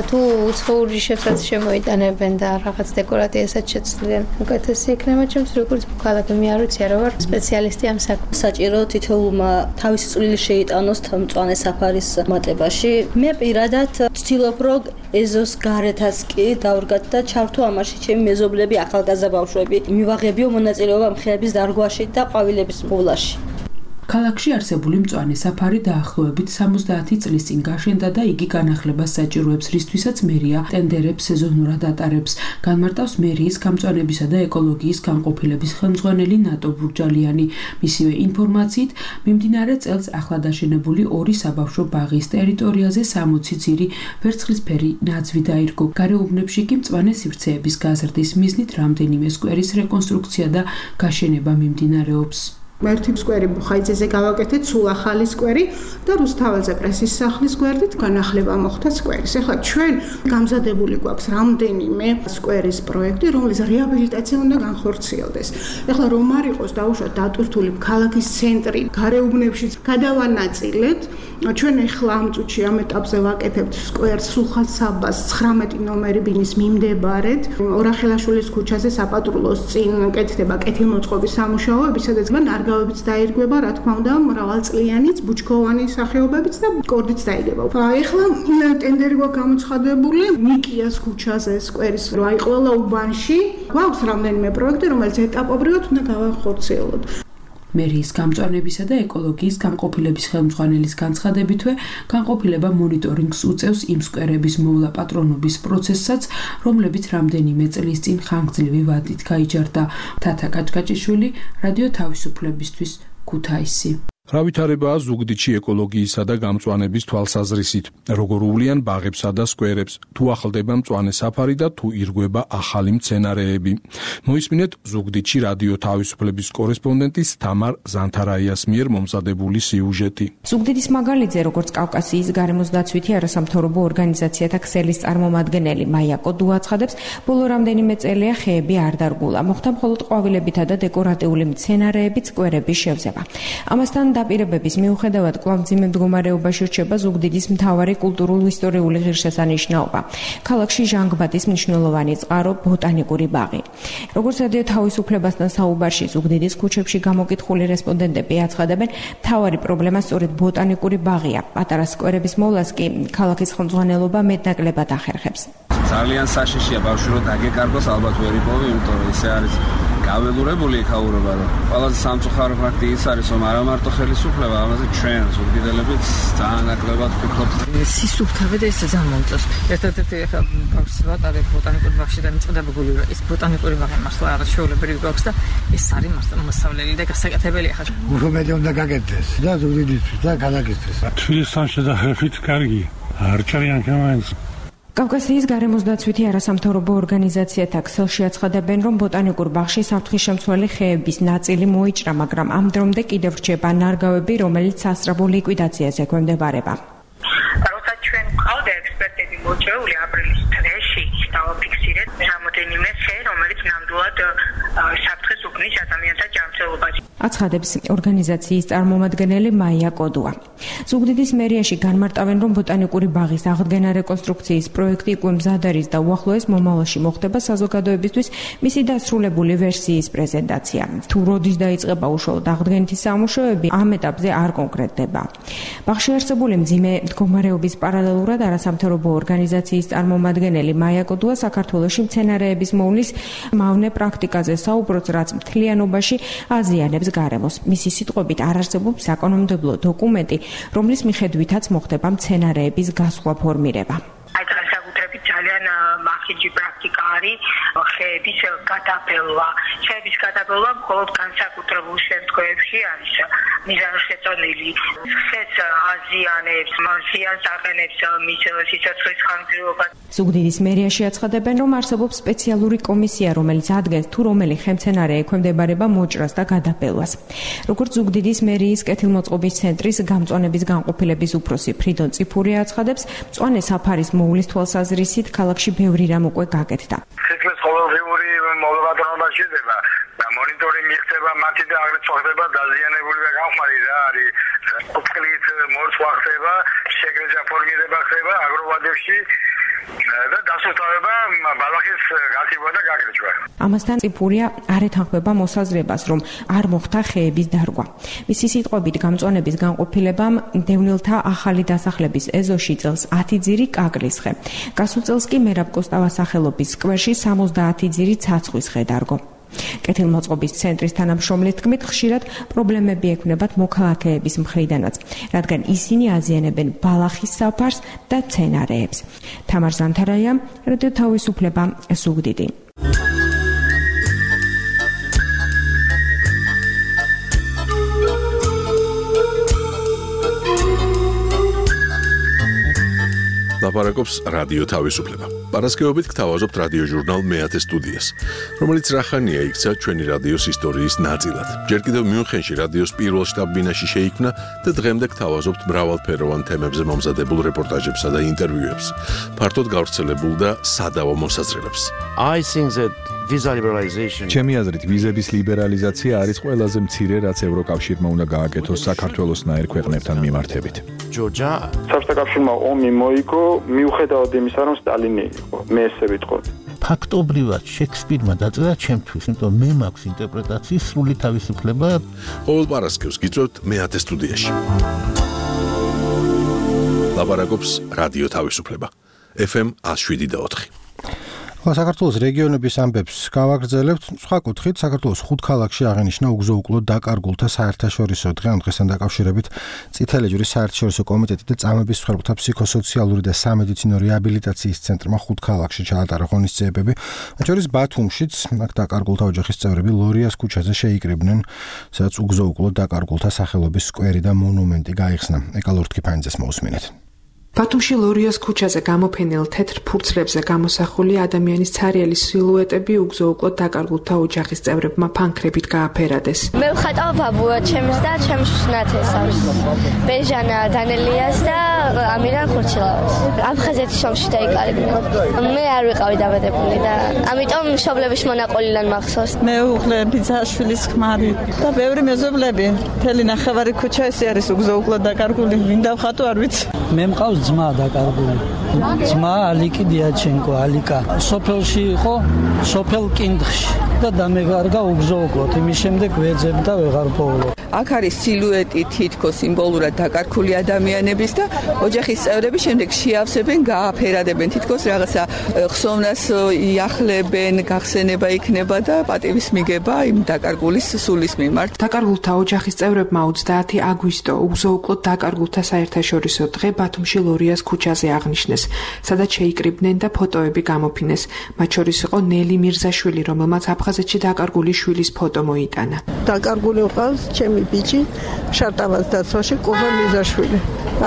თუ უცხოური შეფრაც შემოიტანებენ და რაღაც დეკორატიასაც შეცვლიან. უკეთესი იქნება ჩემთვის როგორც მოქალაქე, მე არ ვიცი, არა ვარ სპეციალისტი ამ საქმეში. საჭირო თითოეულმა თავისი წვლილი შეიტანოს მწვანე საფარის მატებაში. მე პირადად ვცდილობ რომ ეზოს გარეთაც კი დავრგათ და ჩართო ამაში ჩემი მეზობლები, ახალგაზრდა ბავშვები, მივაღებიო მონაწილეობა მხეების დარგვაში და ყვავილების მოვლაში.
ქალაქში არსებული მწვანე საფარი დაახლოებით 70 წლის წინ გაშენდა და იგი განახლებას საჭიროებს, რისთვისაც მერია ტენდერებს სეზონურად ატარებს. განმარტავს მერიის გამწვანებისა და ეკოლოგიის განყოფილების ხელმძღვანელი ნატო ბურჯალიანი. მისივე ინფორმაციით, მიმდინარე წელს ახლად აშენებული 2 საბავშვო ბაღის ტერიტორიაზე 60 ძირი ვერცხლისფერი ნაძვი დაირგო. გარეუბნებში კი მწვანე სივრცეების გაზრდის მიზნით რამდენიმე სკვერის რეკონსტრუქცია და გაშენება მიმდინარეობს.
ერთი სკვერი ბუხაიძეზე გავაკეთეთ, სულ ახალი სკვერი და რუსთაველზე პრესის სახლის გვერდით განახლება მოხდა სკვერის. ეხლა ჩვენ გამზადებული გვაქვს რამდენიმე სკვერის პროექტი, რომლის რეაბილიტაცია უნდა განხორციელდეს. ეხლა რომ არ იყოს დაუშვათ დატვირთული ქალაქის ცენტრი, გარეუბნებში გადავანაწილეთ. ჩვენ ეხლა ამ წუთში ამ ეტაპზე ვაკეთებთ სკვერს სულხან-საბას 19 ნომერი ბინის მიმდებარედ. ორახელაშვილის ქუჩაზე საპატრულოს წინ კეთდება კეთილმოწყობის სამუშაოები, სადაც ნარგავებიც დაირგვება, რა თქმა უნდა, მრავალწლიანიც, ბუჩქოვანი სახეობებიც და კორდიც დაიგება. ეხლა ტენდერი გვაქვს გამოცხადებული ნიკიას ქუჩაზე სკვერის, აი ყველა უბანში გვაქვს რამდენიმე პროექტი, რომელიც ეტაპობრივად უნდა გავახორციელოთ.
მერიის გამწვანებისა და ეკოლოგიის განყოფილების ხელმძღვანელის განცხადებითვე, განყოფილება მონიტორინგს უწევს იმ სკვერების მოვლა პატრონობის პროცესსაც, რომლებიც რამდენიმე წლის წინ ხანგრძლივი ვადით გაიჯარდა. თათა კაჭკაჭიშვილი, რადიო თავისუფლებისთვის, ქუთაისი.
რა ვითარებაა ზუგდიდში ეკოლოგიისა და გამწვანების თვალსაზრისით, როგორ უვლიან ბაღებსა და სკვერებს, თუ ახლდება მწვანე საფარი და თუ ირგვება ახალი მცენარეები. მოისმინეთ ზუგდიდში რადიო თავისუფლების კორესპონდენტის თამარ ზანთარაიას მიერ მომზადებული სიუჟეტი.
ზუგდიდის მაგალითზე, როგორც კავკასიის გარემოს დაცვითი არასამთავრობო ორგანიზაციათა ქსელის წარმომადგენელი მაია კოდუ აცხადებს, ბოლო რამდენიმე წელია ხეები არ დარგულა, მოხდა მხოლოდ ყვავილებითა და დეკორატიული მცენარეებით სკვერების შევზება. ამასთან დაპირებების მიუხედავად კვლავ მძიმე მდგომარეობაში რჩება ზუგდიდის მთავარი კულტურულ-ისტორიული ღირსშესანიშნაობა. ქალაქში ჟანგბადის მნიშვნელოვანი წყარო ბოტანიკური ბაღი. როგორც რადიო თავისუფლებასთან საუბარში ზუგდიდის ქუჩებში გამოკითხული რესპონდენტები აცხადებენ, მთავარი პრობლემა სწორედ ბოტანიკური ბაღია. პატარა სკვერების მოვლას კი ქალაქის ხელმძღვანელობა მეტნაკლებად ახერხებს.
ძალიან საშიშია ბავშვი რომ დაგეკარგოს, ალბათ ვერ იპოვი, იმიტომ რომ ისე არის გაველურებული იქაურობა, რომ ყველაზე სამწუხარო ფაქტი ის არის, რომ არა მარტო ხელისუფლება, ამაზე ჩვენ ზუგდიდელებიც ძალიან ნაკლებად ვფიქრობთ.
სისუფთავე და ეს ძალიან მომწონს. ერთადერთი ახლა ბავშვს ვატარებ ბოტანიკური ბაღში და მიწოდებებული რომ ეს ბოტანიკური ბაღი მართლა არის შეულებრივი გვაქვს და ეს არის მართლა მოსავლელი და გასაკეთებელი ახლა.
უფრო მეტი უნდა გაკეთდეს და ზუგდიდისთვის და ქალაქისთვის.
თბილისთან შედარებით კარგი. არ ჭრიან კამენს.
კავკასიის გარემოს დაცვითი არასამთავრობო ორგანიზაციათა ქსელში აცხადებენ, რომ ბოტანიკურ ბაღში საფრთხისშემცველი ხეების ნაწილი მოიჭრა, მაგრამ ამ დრომდე კიდევ რჩება ნარგავები, რომელიც სასწრაფო ლიკვიდაციას ექვემდებარება.
როცა ჩვენ ყავდა ექსპერტები მოწვეული აპრილის თვეში დავაფიქსირეთ რამდენიმე ხე, რომელიც ნამდვილად საფრთხეს უქმნის ადამიანთა ჯანმრთელობას.
აცხადებს ორგანიზაციის წარმომადგენელი მაია კოდუა. ზუგდიდის მერიაში განმარტავენ, რომ ბოტანიკური ბაღის აღდგენა რეკონსტრუქციის პროექტი უკვე მზად არის და უახლოეს მომავალში მოხდება საზოგადოებისთვის მისი დასრულებული ვერსიის პრეზენტაცია. თუ როდის დაიწყება უშუალოდ აღდგენითი სამუშაოები, ამ ეტაპზე არ კონკრეტდება. ბაღში არსებული მძიმე მდგომარეობის პარალელურად არასამთავრობო ორგანიზაციის წარმომადგენელი მაია კოდუა საქართველოში მცენარეების მოვლის მავნე პრაქტიკაზე საუბრობს, რაც მთლიანობაში აზიანებს გარემოს. მისი სიტყვებით არ არსებობს საკანონმდებლო დოკუმენტი, რომლის მიხედვითაც მოხდება მცენარეების გასხვა ფორმირება.
აი განსაკუთრებით ძალიან მახიჯი პრაქტიკა არის ხეების გადაბელვა. ხეების გადაბელვა მხოლოდ განსაკუთრებულ შემთხვევებში არის მიზანშეწონილი. ხეს აზიანებს, ზიანს აყენებს მის სიცოცხლის ხანგრძლივობას.
ზუგდიდის მერიაში აცხადებენ, რომ არსებობს სპეციალური კომისია, რომელიც ადგენს თუ რომელი ხემცენარე ექვემდებარება მოჭრას და გადაბელვას. როგორც ზუგდიდის მერიის კეთილმოწყობის ცენტრის გამწვანების განყოფილების უფროსი ფრიდონ წიფურია აცხადებს, მწვანე საფარის მოვლის თვალსაზრისით ქალაქში ბევრი რამ უკვე გაკეთდა.
სიტყვის ყოველდღიური მოლაპარაკება შეიძლება და მონიტორინგი ხდება მათი და აგრეთვე ხდება დაზიანებული და გამხმარი რა არის ოფკლით მორცვა ხდება, შეგრეჟა ფორმირება ხდება აგროვადებში და დასუსტება ბალახის გათიბვა და გაგრეჯვა.
ამასთან წიფურია არ ეთანხმება მოსაზრებას, რომ არ მოხდა ხეების დარგვა. მისი სიტყვებით გამწვანების განყოფილებამ დევნილთა ახალი დასახლების ეზოში წელს 10 ძირი კაკლის ხე. გასულ წელს კი მერაბ კოსტავას სახელობის სკვერში 70 ძირი ცაცხვის ხე დარგო. კეთილმოწყობის ცენტრის თანამშრომლის თქმით, ხშირად პრობლემები ექმნებათ მოქალაქეების მხრიდანაც, რადგან ისინი აზიანებენ ბალახის საფარს და მცენარეებს. თამარ ზანთარაია, რადიო თავისუფლება, ზუგდიდი.
ლაპარაკობს რადიო თავისუფლება. პარასკევობით გთავაზობთ რადიო ჟურნალ მეათე სტუდიას, რომელიც რახანია იქცა ჩვენი რადიოს ისტორიის ნაწილად. ჯერ კიდევ მიუნხენში რადიოს პირველ შტაბ-ბინაში შეიქმნა და დღემდე გთავაზობთ მრავალფეროვან თემებზე მომზადებულ რეპორტაჟებსა და ინტერვიუებს, ფართოდ გავრცელებულ და სადავო მოსაზრებებს.
ჩემი აზრით, ვიზების ლიბერალიზაცია არის ყველაზე მცირე, რაც ევროკავშირმა უნდა გააკეთოს საქართველოსნაირ ქვეყნებთან მიმართებით.
საბჭოთა კავშირმა ომი მოიგო, მიუხედავად იმისა, რომ სტალინი იყო. მე ესე ვიტყოდი.
ფაქტობრივად შექსპირმა დაწერა ჩემთვის, იმიტომ მე მაქვს ინტერპრეტაციის სრული თავისუფლება.
ყოველ პარასკევს გიწევთ მეათე სტუდიაში. ლაპარაკობს რადიო თავისუფლება. FM 107.4.
საქართველოს რეგიონების ამბებს გავაგრძელებთ. სხვა კუთხით, საქართველოს 5 ქალაქში აღინიშნა უგზო-უკლო დაკარგულთა საერთაშორისო დღე. ამ დღესთან დაკავშირებით წითელი ჯვრის საერთაშორისო კომიტეტი და წამების მსხვერპლთა ფსიქოსოციალური და სამედიცინო რეაბილიტაციის ცენტრმა 5 ქალაქში ჩაატარა ღონისძიებები. მათ შორის ბათუმშიც, აქ დაკარგულთა ოჯახის წევრები ლორიას ქუჩაზე შეიკრიბნენ, სადაც უგზო-უკლო დაკარგულთა სახელობის სკვერი და მონუმენტი გაიხსნა. ეკალორთ კიფანიძეს მოусმინეთ.
ბათუმში ლორიას ქუჩაზე გამოფენილ თეთრ ფურცლებზე გამოსახული ადამიანის ცარიელი სილუეტები უგზო-უკლო დაკარგულთა ოჯახის წევრებმა ფანქრებით გააფერადეს.
მე ვხატავ ბაბუა ჩემს და ჩემს ნათესავს. ბეჟანა დანელიას და ამირან ხურჩილავას. აფხაზეთის ომში დაიკარგნენ. მე არ ვიყავი დაბადებული და ამიტომ მშობლების მონაყოლიდან მახსოვს.
მე უხლე ბიძაშვილის ქმარი და ბევრი მეზობლები. მთელი ნახევარი ქუჩა ეს არის უგზო-უკლო დაკარგული. ვინ დავხატო არ ვიცი.
მე მყავს ძმა დაკარგული. ძმა ალიკი დიაჩენკო, ალიკა. სოფელში იყო, სოფელ კინდხში და დამეგარგა უგზო-უკლოდ. იმის შემდეგ ვეძებდა ვეღარ პოულობ.
აქ არის სილუეტი თითქოს სიმბოლურად დაკარგული ადამიანების და ოჯახის წევრები შემდეგ შეავსებენ, გააფერადებენ თითქოს რაღაცა ხსოვნას იახლებენ, გახსენება იქნება და პატივის მიგება იმ დაკარგულის სულის მიმართ.
დაკარგულთა ოჯახის წევრებმა 30 აგვისტო უგზო-უკლოდ დაკარგულთა საერთაშორისო დღე ბათუმში ლორიას ქუჩაზე აღნიშნეს, სადაც შეიკრიბნენ და ფოტოები გამოფინეს. მათ შორის იყო ნელი მირზაშვილი, რომელმაც აფხაზეთში დაკარგული შვილის ფოტო მოიტანა.
დაკარგული ყავს ჩემი ბიჭი შარტავას დაცვაში კობა მირზაშვილი.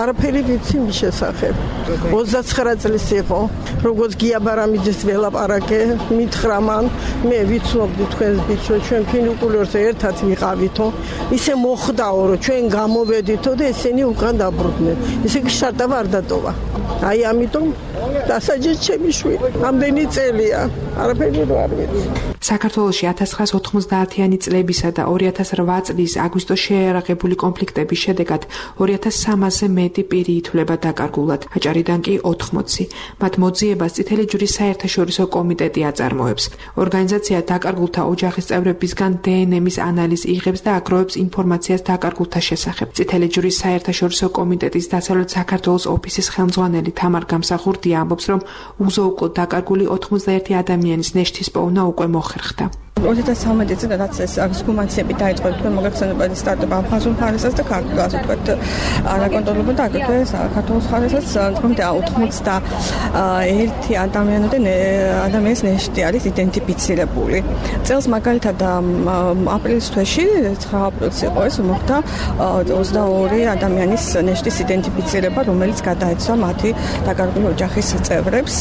არაფერი ვიცი მის შესახებ. 29 წლის იყო, როგორც გია ბარამიძის ველაპარაკე, მითხრა მან, მე ვიცნობდი თქვენს ბიჭს, რომ ჩვენ ფინიკულერზე ერთად ვიყავითო, ისე მოხდაო, რომ ჩვენ გამოვედითო და ესენი უკან დაბრუნდნენ. ისე კი შარტავა არ დატოვა. აი ამიტომ დასაჯეს ჩემი შვილი. ამდენი წელია, არაფერი არ ვიცი.
საქართველოში 1990-იანი წლებისა და 2008 წლის აგვისტოს შეიარაღებული კონფლიქტების შედეგად 2300-ზე მეტი პირი ითვლება დაკარგულად, აჭარიდან კი 80. მათ მოძიებას წითელი ჯვრის საერთაშორისო კომიტეტი აწარმოებს. ორგანიზაცია დაკარგულთა ოჯახის წევრებისგან დნმ-ის ანალიზს იღებს და აგროვებს ინფორმაციას დაკარგულთა შესახებ. წითელი ჯვრის საერთაშორისო კომიტეტის დასავლეთ საქართველოს ოფისის ხელმძღვანელი თამარ გამსახურდია ამბობს, რომ უგზო-უკლოდ დაკარგული 81 ადამიანის ნეშთის პოვნა უკვე მოხერხდა.
2013 წელს რაც ეს გუმანციები დაიწყო თქვენ მოგეხსენებათ სტარტაპ აფხაზურ მხარესაც და ქართულს ვთქვათ არაკონტროლებად და აგრეთვე საქართველოს მხარესაც თუმცა 91 ადამიანის ნეშტი არის იდენტიფიცირებული. წელს მაგალითად აპრილის თვეში 9 აპრილს იყო ეს მოხდა 22 ადამიანის ნეშტის იდენტიფიცირება, რომელიც გადაეცვა მათი დაკარგული ოჯახის წევრებს.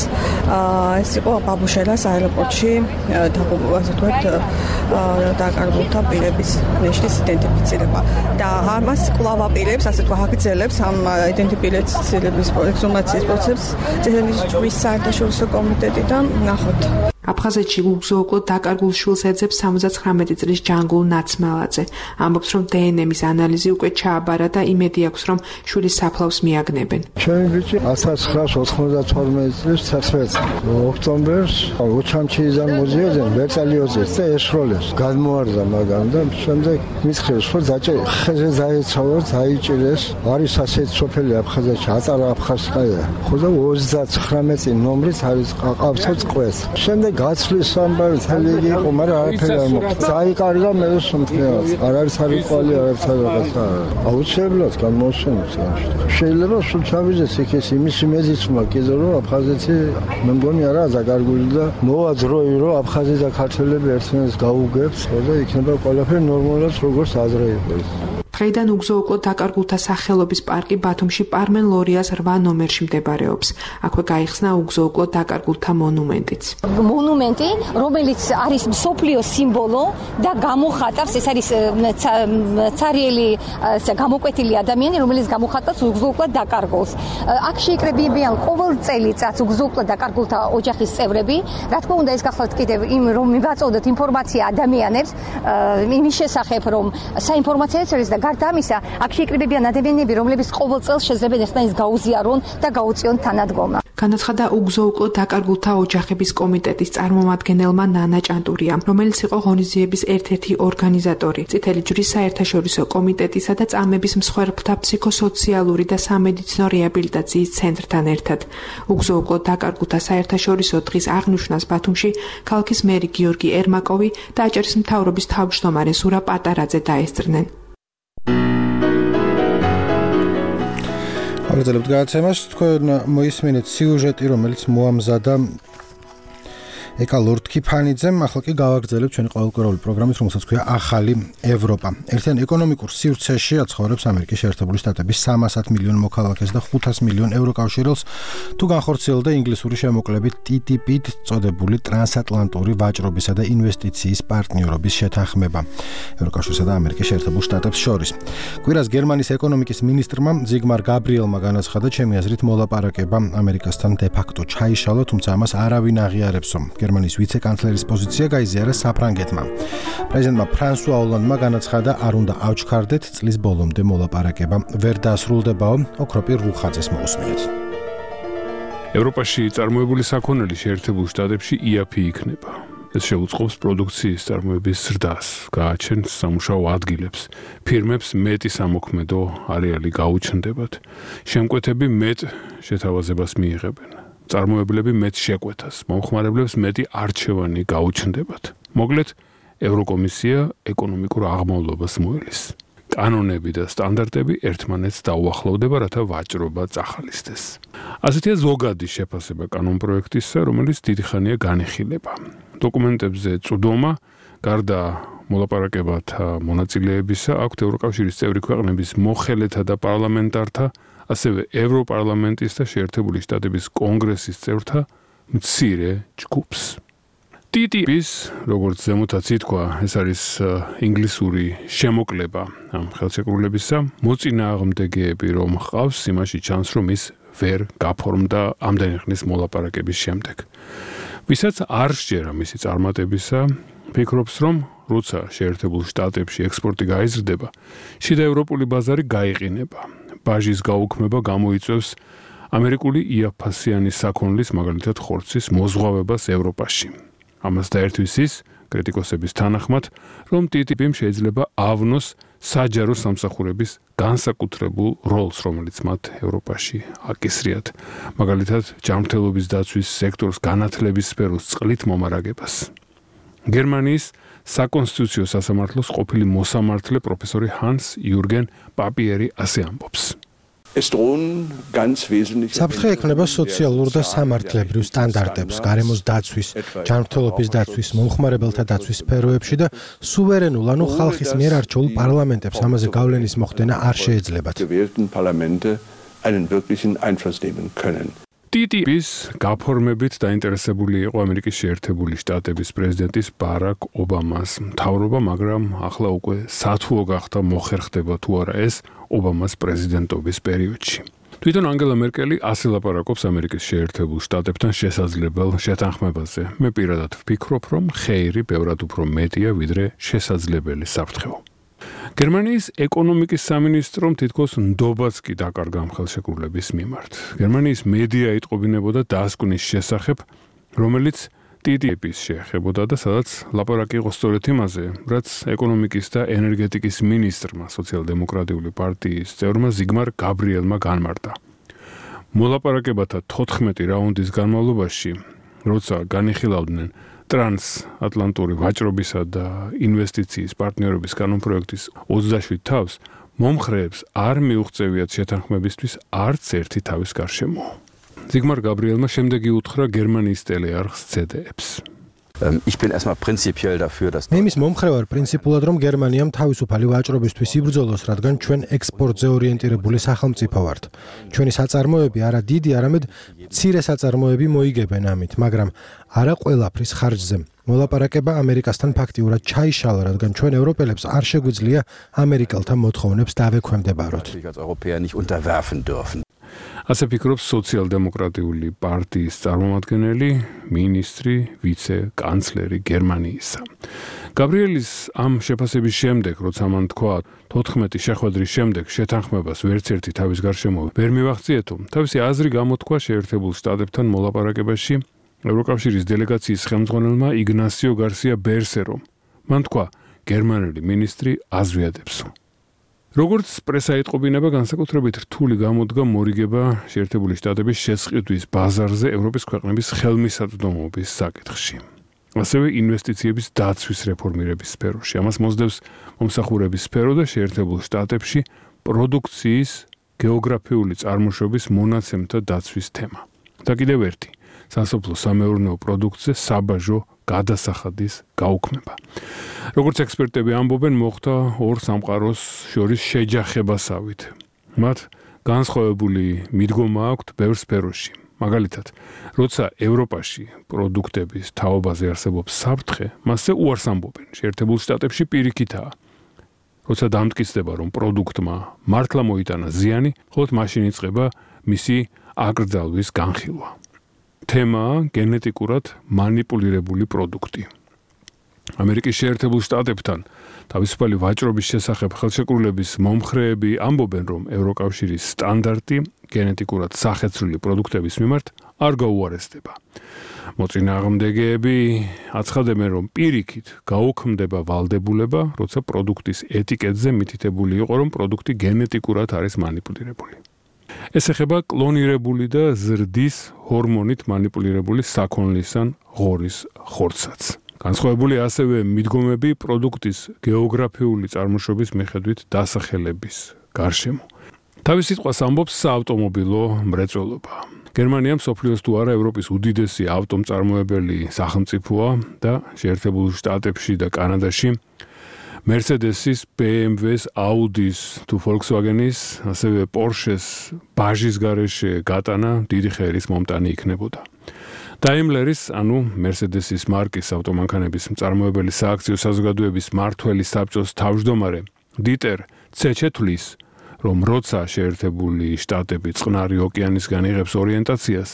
ეს იყო ბაბუშელას აეროპორტში ასე ვთქვათ დაკარგულთა პირების ნეშტის იდენტიფიცირება და ამას კვლავ აპირებს, ასე თქვა, აგრძელებს ამ იდენტიფიცირების ექსჰუმაციის პროცესს წესების ჯგუფის საერთაშორისო კომიტეტი და ნახოთ.
აფხაზეთში უგზო-უკლოდ დაკარგულ შვილს ეძებს 79 წლის ჯანგულ ნაცმელაძე. ამბობს, რომ დნმ-ის ანალიზი უკვე ჩააბარა და იმედი აქვს, რომ შვილის საფლავს მიაგნებენ.
ჩემი ბიჭი 1992 წლის 11 ოქტომბერს უჩამჩიიდან მოზიოდენ ვერტალიოძეს და ეშროლეს. გადმოარდა მაგამ და შემდეგ მისხეს, რომ ხეზე დაეცავოთ, დაიჭირეს. არის ასეთი სოფელი აფხაზეთში, აწარა აფხაზკაია. ხოდა 39 ნომრით არის ყავთო წყვეს. შემდეგ გაცვლის ამბავი თელიგი იყო, მაგრამ არაფერი არ მოხდა. დაიკარგა მე სომხეას. არ არის არიყვალი, არაფერს რაღაცა. აუცილებლად გამოსვენებს ამაში. შეიძლება სულ ჩავიდეს იქ იმის იმედიც მაქვს, რომ აფხაზეთი მე მგონი არა დაკარგული და მოვა დროი, რომ აფხაზი და ქართველები ერთმანეთს გაუგებს და იქნება ყველაფერი ნორმალურად როგორც ადრე იყო.
დღეიდან უგზო-უკლოდ დაკარგულთა სახელობის პარკი ბათუმში პარმენ ლორიას 8 ნომერში მდებარეობს. აქვე გაიხსნა უგზო-უკლოდ დაკარგულთა მონუმენტიც.
მონუმენტი, რომელიც არის მსოფლიოს სიმბოლო და გამოხატავს, ეს არის ცარიელი გამოკვეთილი ადამიანი, რომელიც გამოხატავს უგზო-უკლოდ დაკარგულს. აქ შეიკრებიან ყოველ წელიწადს უგზო-უკლოდ დაკარგულთა ოჯახის წევრები. რა თქმა უნდა, ეს გახლავთ კიდევ იმ რომ მივაწოდოთ ინფორმაცია ადამიანებს იმის შესახებ, რომ საინფორმაციო წერილს და გარდა ამისა, აქ შეიკრიბებიან ადამიანები, რომლებიც ყოველ წელს შეიძლება ერთმანეთს გაუზიარონ და გაუწიონ თანადგომა.
განაცხადა უგზო-უკლოდ დაკარგულთა ოჯახების კომიტეტის წარმომადგენელმა ნანა ჭანტურიამ, რომელიც იყო ღონისძიების ერთ-ერთი ორგანიზატორი, წითელი ჯვრის საერთაშორისო კომიტეტისა და წამების მსხვერპლთა ფსიქოსოციალური და სამედიცინო რეაბილიტაციის ცენტრთან ერთად. უგზო-უკლოდ დაკარგულთა საერთაშორისო დღის აღნიშვნას ბათუმში ქალაქის მერი გიორგი ერმაკოვი და აჭარის მთავრობის თავმჯდომარე ზურა პატარაძე დაესწრნენ.
აღწერებთ გადაცემას, თქვენ მოისმინეთ სიუჟეტი, რომელიც მოამზადა ეკა ლორდ-კიფანიძემ, ახლა კი გავაგრძელებთ ჩვენი ყოველკვირეული პროგრამის, რომელსაც ქვია ახალი ევროპა. ერთიან ეკონომიკურ სივრცეში აცხოვრებს ამერიკის შეერთებული შტატების 300 მილიონ მოქალაქეს და 500 მილიონ ევროკავშირელს, თუ განხორციელდა ინგლისური შემოკლებით TTIP-ით წოდებული ტრანსატლანტური ვაჭრობისა და ინვესტიციის პარტნიორობის შეთანხმება ევროკავშირსა და ამერიკის შეერთებულ შტატებს შორის. კვირას გერმანიის ეკონომიკის მინისტრმა ზიგმარ გაბრიელმა განაცხადა, ჩემი აზრით მოლაპარაკება ამერიკასთან დე-ფაქტო ჩაიშალა, თუმცა ამას არავინ აღიარებსო. გერმანიის ვიცე-კანცლერის პოზიცია გაიზიარა საფრანგეთმა. პრეზიდენტმა ფრანსუა ოლანდმა განაცხადა, არ უნდა ავჩქარდეთ, წლის ბოლომდე მოლაპარაკება ვერ დასრულდებაო, ოქროპირ რუხაძეს მოусმინეთ.
ევროპაში წარმოებული საქონელი შეერთებულ შტატებში იაფი იქნება. ეს შეუწყობს პროდუქციის წარმოების ზრდას, გააჩენს სამუშაო ადგილებს, ფირმებს მეტი სამოქმედო არეალი გაუჩნდებათ, შემკვეთები მეტ შეთავაზებას მიიღებენ. წარმოებლები მეტ შეკვეთას, მომხმარებლებს მეტი არჩევანი გაუჩნდებათ. მოკლედ, ევროკომისია ეკონომიკურ აღმავლობას მოელის. კანონები და სტანდარტები ერთმანეთს დაუახლოვდება, რათა ვაჭრობა წახალისდეს. ასეთია ზოგადი შეფასება კანონპროექტისა, რომელიც დიდი ხანია განიხილება. დოკუმენტებზე წვდომა, გარდა მოლაპარაკებათა მონაწილეებისა, აქვთ ევროკავშირის წევრი ქვეყნების მოხელეთა და პარლამენტართა, ასევე ევროპარლამენტის და შეერთებული შტატების კონგრესის წევრთა მცირე ჯგუფს. TTIP-ის, როგორც ზემოთაც ითქვა, ეს არის ინგლისური შემოკლება ამ ხელშეკრულებისა, მოწინააღმდეგეები რომ ჰყავს, იმაში ჩანს, რომ ის ვერ გაფორმდა ამდენი ხნის მოლაპარაკების შემდეგ. ვისაც არ სჯერა მისი წარმატებისა, ფიქრობს, რომ როცა შეერთებულ შტატებში ექსპორტი გაიზრდება, შიდა ევროპული ბაზარი გაიყინება. ბაჟის გაუქმება გამოიწვევს ამერიკული იაფფასიანი საქონლის, მაგალითად ხორცის მოზღვავებას ევროპაში. ამას დაერთვის ის, კრიტიკოსების თანახმად, რომ TTIP-მ შეიძლება ავნოს საჯარო სამსახურების განსაკუთრებულ როლს, რომელიც მათ ევროპაში აკისრიათ. მაგალითად, ჯანმრთელობის დაცვის სექტორს განათლების სფეროს წყლით მომარაგებას. გერმანიის საკონსტიტუციო სასამართლოს ყოფილი მოსამართლე პროფესორი ჰანს იურგენ პაპიერი ასე ამბობს.
საფრთხე ექმნება სოციალურ და სამართლებრივ სტანდარტებს, გარემოს დაცვის, ჯანმრთელობის დაცვის, მომხმარებელთა დაცვის სფეროებში და სუვერენულ, ანუ ხალხის მიერ არჩეულ პარლამენტებს ამაზე გავლენის მოხდენა არ შეეძლებათ.
TTIP-ის გაფორმებით დაინტერესებული იყო ამერიკის შეერთებული შტატების პრეზიდენტის ბარაკ ობამას მთავრობა, მაგრამ ახლა უკვე სათუო გახდა მოხერხდება თუ არა ეს ობამას პრეზიდენტობის პერიოდში. თვითონ ანგელა მერკელი ასე ლაპარაკობს ამერიკის შეერთებულ შტატებთან შესაძლებელ შეთანხმებაზე. მე პირადად ვფიქრობ, რომ ხეირი ბევრად უფრო მეტია, ვიდრე შესაძლებელი საფრთხეო. გერმანიის ეკონომიკის სამინისტრომ თითქოს ნდობაც კი დაკარგა ამ ხელშეკრულების მიმართ. გერმანიის მედია იტყობინებოდა დასკვნის შესახებ, რომელიც TTIP-ის შეეხებოდა და სადაც ლაპარაკი იყო სწორედ იმაზე, რაც ეკონომიკის და ენერგეტიკის მინისტრმა, სოციალ-დემოკრატიული პარტიის წევრმა ზიგმარ გაბრიელმა განმარტა. მოლაპარაკებათა 14 რაუნდის განმავლობაში, როცა განიხილავდნენ ტრანსატლანტური ვაჭრობისა და ინვესტიციის პარტნიორობის კანონპროექტის 27 თავს, მომხრეებს არ მიუღწევიათ შეთანხმებისთვის არც ერთი თავის გარშემო. ზიგმარ გაბრიელმა შემდეგ იუთხრა გერმანიის ტელეარხს ZDF-ს.
მე იმის მომხრე ვარ პრინციპულად, რომ გერმანიამ თავისუფალი ვაჭრობისთვის იბრძოლოს, რადგან ჩვენ ექსპორტზე ორიენტირებული სახელმწიფო ვართ. ჩვენი საწარმოები არა დიდი, არამედ მცირე საწარმოები მოიგებენ ამით, მაგრამ არა ყველაფრის ხარჯზე. მოლაპარაკება ამერიკასთან ფაქტიურად ჩაიშალა, რადგან ჩვენ ევროპელებს არ შეგვიძლია ამერიკელთა მოთხოვნებს დავექვემდებაროთ.
ასე ფიქრობს სოციალ-დემოკრატიული პარტიის წარმომადგენელი, მინისტრი, ვიცე-კანცლერი გერმანიისა. გაბრიელის ამ შეფასების შემდეგ, როცა მან თქვა 14 შეხვედრის შემდეგ შეთანხმებას ვერც ერთი თავის გარშემო ვერ მივახციეთო, თავისი აზრი გამოთქვა შეერთებულ შტატებთან მოლაპარაკებაში ევროკავშირის დელეგაციის ხელმძღვანელმა იგნასიო გარსია ბერსერომ. მან თქვა, გერმანელი მინისტრი აზვიადებს. როგორც პრესა იტყობინება, განსაკუთრებით რთული გამოდგა მორიგება შეერთებული შტატების შესყიდვის ბაზარზე ევროპის ქვეყნების ხელმისაწვდომობის საკითხში. ასევე ინვესტიციების დაცვის რეფორმირების სფეროში. ამას მოსდევს მომსახურების სფერო და შეერთებულ შტატებში პროდუქციის გეოგრაფიული წარმოშობის მონაცემთა დაცვის თემა. და კიდევ ერთი, სასოფლო სამეურნეო პროდუქტზე საბაჟო გადასახადის გაუქმება. როგორც ექსპერტები ამბობენ, მოხდა ორ სამყაროს შორის შეჯახებასავით. მათ განსხვავებული მიდგომა აქვთ ბევრ სფეროში. მაგალითად, როცა ევროპაში პროდუქტების თაობაზე არსებობს საფრთხე, მასზე უარს ამბობენ. შეერთებულ შტატებში პირიქითაა. როცა დამტკიცდება, რომ პროდუქტმა მართლა მოიტანა ზიანი, მხოლოდ მაშინ იწყება მისი აკრძალვის განხილვა. თემაა გენეტიკურად მანიპულირებული პროდუქტი. ამერიკის შეერთებულ შტატებთან თავისუფალი ვაჭრობის შესახებ ხელშეკრულების მომხრეები ამბობენ, რომ ევროკავშირის სტანდარტი გენეტიკურად სახეცვლილი პროდუქტების მიმართ არ გაუარესდება. მოწინააღმდეგეები აცხადებენ, რომ პირიქით გაუქმდება ვალდებულება, როცა პროდუქტის ეტიკეტზე მითითებული იყო, რომ პროდუქტი გენეტიკურად არის მანიპულირებული. ეს ეხება კლონირებული და ზრდის ჰორმონით მანიპულირებული საქონლის ან ღორის ხორცსაც. განსხვავებული ასევე მიდგომები პროდუქტის გეოგრაფიული წარმოშობის მიხედვით დასახელების გარშემო. თავის სიტყვას ამბობს საავტომობილო მრეწველობა. გერმანია მსოფლიოს თუ არა ევროპის უდიდესი ავტომწარმოებელი სახელმწიფოა და შეერთებულ შტატებში და კანადაში Mercedes-ის, BMW-ის, Audi-ის თუ Volkswagen-ის, ასევე Porsche-ის ბაჟის გარეშე გატანა დიდი ხერის მომტანი იქნებოდა. Daimler-ის, ანუ Mercedes-ის მარკის ავტომანქანების მწარმოებელი სააქციო საზოგადოების მმართველი საბჭოს თავმჯდომარე დიტერ ცეჩეთლის, რომ როცა შეერთებული შტატები წყნარი ოკეანისგან იღებს ორიენტაციას,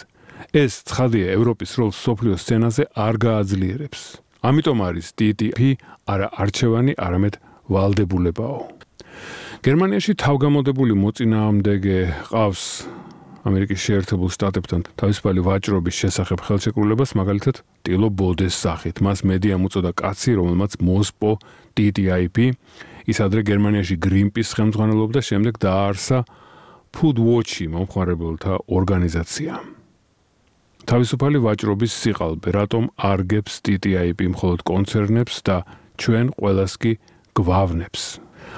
ეს ცხადია ევროპის როლს მსოფლიო სცენაზე არ გააძლიერებს. ამიტომ არის TTIP არა არჩევანი, არამედ ვალდებულებაო. გერმანიაში თავგამოდებული მოწინააღმდეგე ყავს ამერიკის შეერთებულ შტატებთან თავისუფალი ვაჭრობის შესახებ ხელშეკრულებას, მაგალითად, ტილო ბოდეს სახით. მას მედიამ უწოდა კაცი, რომელმაც მოსპო TTIP, ის ადრე გერმანიაში Greenpeace ხელმძღვანელობდა, შემდეგ დააარსა Food Watch-ი მომხმარებელთა ორგანიზაცია. თავისუფალი ვაჭრობის სიყალბე, რატომ არგებს TTIP მხოლოდ კონცერნებს და ჩვენ ყველას კი გვავნებს.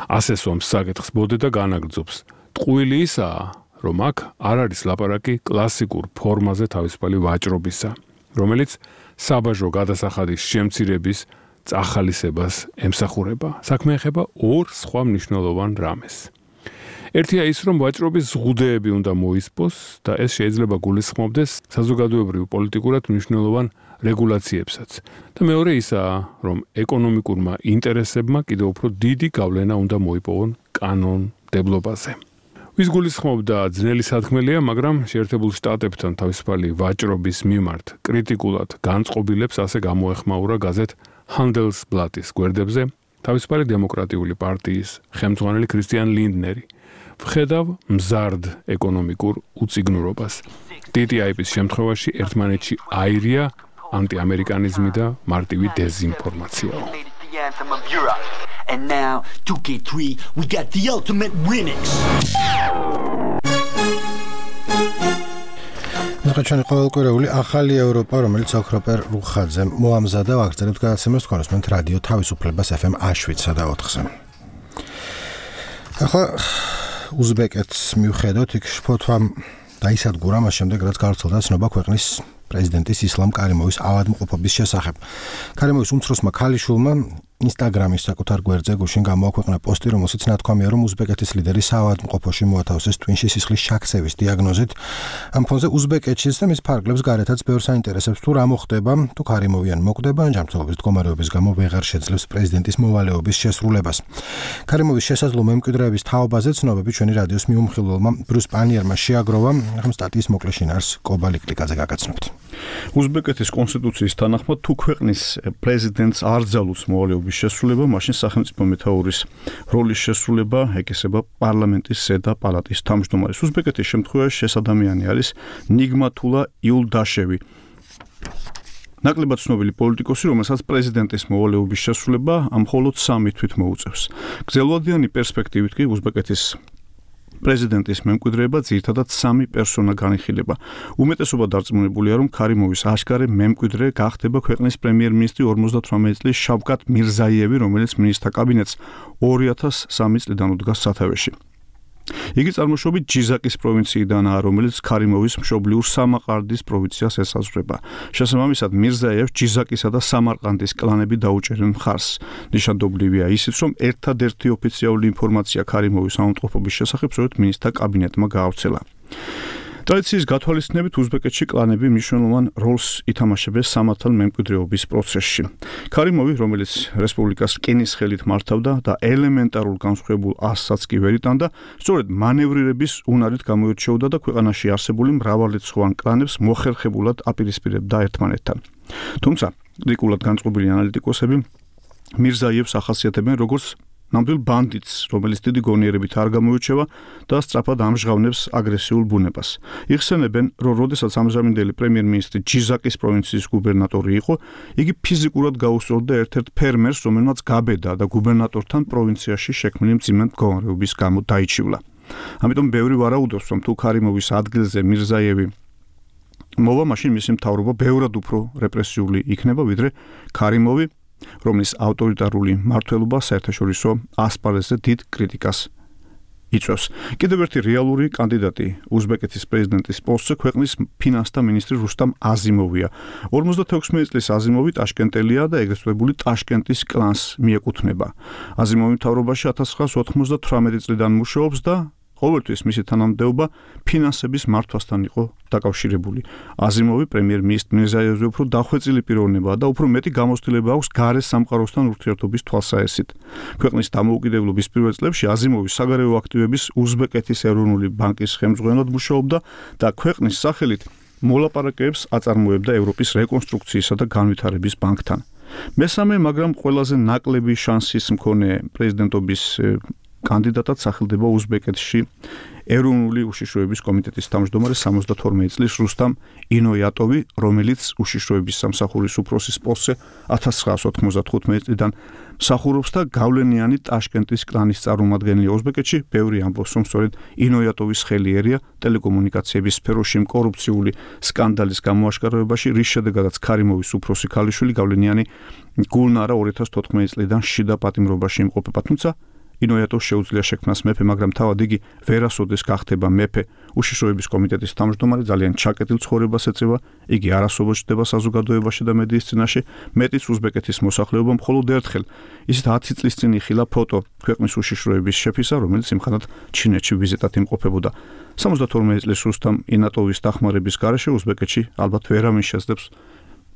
ასე სვამს საკითხს ბოდე და განაგრძობს. ტყუილი ისაა, რომ აქ არ არის ლაპარაკი კლასიკურ ფორმაზე თავისუფალი ვაჭრობისა, რომელიც საბაჟო გადასახადის შემცირების წახალისებას ემსახურება. საქმე ეხება ორ სხვა მნიშვნელოვან რამეს. ერთია ის, რომ ვაჭრობის ზღუდეები უნდა მოისპოს და ეს შეიძლება გულისხმობდეს საზოგადოებრივ პოლიტიკურად მნიშვნელოვან რეგულაციებსაც. და მეორე ისაა, რომ ეკონომიკურმა ინტერესებმა კიდევ უფრო დიდი გავლენა უნდა მოიპოვონ კანონმდებლობაზე. ვის გულისხმობდა ძნელი სათქმელია, მაგრამ შეერთებულ შტატებთან თავისუფალი ვაჭრობის მიმართ კრიტიკულად განწყობილებს ასე გამოეხმაურა გაზეთ Handelsblatt-ის გვერდებზე თავისუფალი დემოკრატიული პარტიის ხელმძღვანელი კრისტიან ლინდნერი. ვხედავ მზარდ ეკონომიკურ უწიგნურობას. TTIP-ის შემთხვევაში ერთმანეთში აირია ანტიამერიკანიზმი და მარტივი დეზინფორმაცია.
And now 2K3 we got the ultimate remix.
ნახაჩვენი ყოველკვირეული ახალი ევროპა, რომელიც ოქროპერ რუხაძემ მოამზადა ვაგრძელებთ გადაცემას თქვენოსმენთ რადიო თავისუფლებას FM 7-სა და 4-ზე. ახლა უზბეკეთს მივხედოთ, იქ შფოთვამ დაისადგურა მას შემდეგ, რაც გავრცელდა ცნობა ქვეყნის პრეზიდენტის ისლამ კარიმოვის ავადმყოფობის შესახებ. კარიმოვის უმცროსმა ქალიშვილმა Instagram-ის საკუთარ გვერდზე გუშინ გამოაქვეყნა პოსტი, რომელშიც ნათქვამია, რომ უზბეკეთის ლიდერი საავადმყოფოში მოათავსეს ტვინში სისხლის შაქცევის დიაგნოზით. ამ ფონზე უზბეკეთშიც და მის ფარგლებს გარეთაც ბევრს აინტერესებს თუ რა მოხდება, თუ კარიმოვიან მოკვდება, ან ჯანმრთელობის მდგომარეობის გამო ვეღარ შეძლებს პრეზიდენტის მოვალეობის შესრულებას. კარიმოვის შესაძლო მემკვიდრეების თაობაზე ცნობები ჩვენი რადიოს მიუმხილველმა ბრუს პანიერმა შეაგროვა, ახლა სტატიის მოკლე შინაარს კობალიკლიკაძე გაგაცნობთ.
უზბეკეთის კონსტიტუციის თანახმად, თუ ქვეყნის პრეზიდენტს არ ძალუძს მოვალეობის შესრულება, მაშინ სახელმწიფო მეთაურის როლის შესრულება ეკისრება პარლამენტის ზედა პალატის თავმჯდომარის. უზბეკეთის შემთხვევაში ეს ადამიანი არის ნიგმათულა იულდაშევი. ნაკლებად ცნობილი პოლიტიკოსი, რომელსაც პრეზიდენტის მოვალეობის შესრულება მხოლოდ 3 თვით მოუწევს. გრძელვადიანი პერსპექტივით კი უზბეკეთის პრეზიდენტის მემკვიდრეობა ძირითადად 3 პერსონა განიხილება. უმეტესობა დარწმუნებულია, რომ კარიმოვის აშკარე მემკვიდრე გახდება ქვეყნის პრემიერ-მინისტრი 58 წლის შავკატ მირზაიევი, რომელიც მინისტრთა კაბინეტს 2003 წლიდან უდგას სათავეში. იგი წარმოშობით ჯიზაკის პროვინციიდანაა, რომელიც კარიმოვის მშობლიურ სამარყანდის პროვინციას ესაზღვრება. შესაბამისად, მირზაიევს ჯიზაკისა და სამარყანდის კლანები დაუჭერენ მხარს. ნიშანდობლივია ისიც, რომ ერთადერთი ოფიციალური ინფორმაცია კარიმოვის ავადმყოფობის შესახებ სწორედ მინისტრთა კაბინეტმა გაავრცელა. ტრადიციის გათვალისწინებით უზბეკეთში კლანები მნიშვნელოვან როლს ითამაშებენ სამართალ მემკვიდრეობის პროცესში. კარიმოვი, რომელიც რესპუბლიკას რკინის ხელით მართავდა და ელემენტარულ განსხვავებულ ასსაც კი ვერ იტანდა, სწორედ მანევრირების უნარით გამოირჩეოდა და ქვეყანაში არსებული მრავალრიცხოვან კლანებს მოხერხებულად აპირისპირებდა ერთმანეთთან. თუმცა, კრიტიკულად განწყობილი ანალიტიკოსები მირზაიევს ახასიათებენ როგორც ნამდვილ ბანდიტს, რომელიც დიდი გონიერებით არ გამოირჩევა და სწრაფად ამჟღავნებს აგრესიულ ბუნებას. იხსენებენ, რომ როდესაც ამჟამინდელი პრემიერ-მინისტრი ჯიზაკის პროვინციის გუბერნატორი იყო, იგი ფიზიკურად გაუსწორდა ერთ-ერთ ფერმერს, რომელმაც გაბედა და გუბერნატორთან პროვინციაში შექმნილი მძიმე მდგომარეობის გამო დაიჩივლა. ამიტომ ბევრი ვარაუდობს, რომ თუ კარიმოვის ადგილზე მირზაიევი მოვა, მაშინ მისი მთავრობა ბევრად უფრო რეპრესიული იქნება, ვიდრე კარიმოვი, რომლის ავტორიტარული მმართველობა საერთაშორისო ასპარეზზე დიდ კრიტიკას იწვევს. კიდევ ერთი რეალური კანდიდატი უზბეკეთის პრეზიდენტის პოსტზე ქვეყნის ფინანსთა მინისტრი რუსტამ აზიმოვია. 56 წლის აზიმოვი ტაშკენტელია და ეგრეთ წოდებული ტაშკენტის კლანს მიეკუთვნება. აზიმოვი მთავრობაში 1998 წლიდან მუშაობს და ყოველთვის მისი თანამდებობა ფინანსების მართვასთან იყო დაკავშირებული. აზიმოვი პრემიერ-მინისტრ მირზაიევზე უფრო დახვეწილი პიროვნებაა და უფრო მეტი გამოცდილება აქვს გარე სამყაროსთან ურთიერთობის თვალსაჩინოდ. ქვეყნის დამოუკიდებლობის პირველ წლებში აზიმოვი საგარეო აქტივების უზბეკეთის ეროვნული ბანკის ხელმძღვანელად მუშაობდა და ქვეყნის სახელით მოლაპარაკებებს აწარმოებდა ევროპის რეკონსტრუქციისა და განვითარების ბანკთან. მესამე, მაგრამ ყველაზე ნაკლები შანსის მქონე პრეზიდენტობის კანდიდატად სახელდება უზბეკეთში ეროვნული უშიშროების კომიტეტის თავმჯდომარე 72 წლის რუსტამ ინოიატოვი, რომელიც უშიშროების სამსახურის უფროსის პოსტზე 1995 წლიდან მსახურობს და გავლენიანი ტაშკენტის კლანის წარმომადგენელი ოზბეკეთში, ბევრი ამბობს, რომ სწორედ ინოიატოვის ხელი ერია ტელეკომუნიკაციების სფეროში კორუფციული სკანდალის გამოაშკარავებაში, რის შედეგადაც ქარიმოვის უფროსი ქალიშვილი გავლენიანი გულნარა 2014 წლიდან შიდა პატიმრობაში იმყოფება, თუმცა ინოიატოვს შეუძლია შექმნას მეფე, მაგრამ თავად იგი ვერასოდეს გახდება მეფე. უშიშროების კომიტეტის თავმჯდომარე ძალიან ჩაკეტილ ცხოვრებას ეწევა, იგი არასოდეს ჩნდება საზოგადოებაში და მედიის წინაშე, მეტიც უზბეკეთის მოსახლეობა მხოლოდ ერთხელ, ისიც 10 წლის წინ იხილა ფოტო ქვეყნის უშიშროების შეფისა, რომელიც იმხანად ჩინეთში ვიზიტად იმყოფებოდა. 72 წლის რუსტამ ინატოვის დახმარების გარეშე უზბეკეთში ალბათ ვერავინ შეძლებს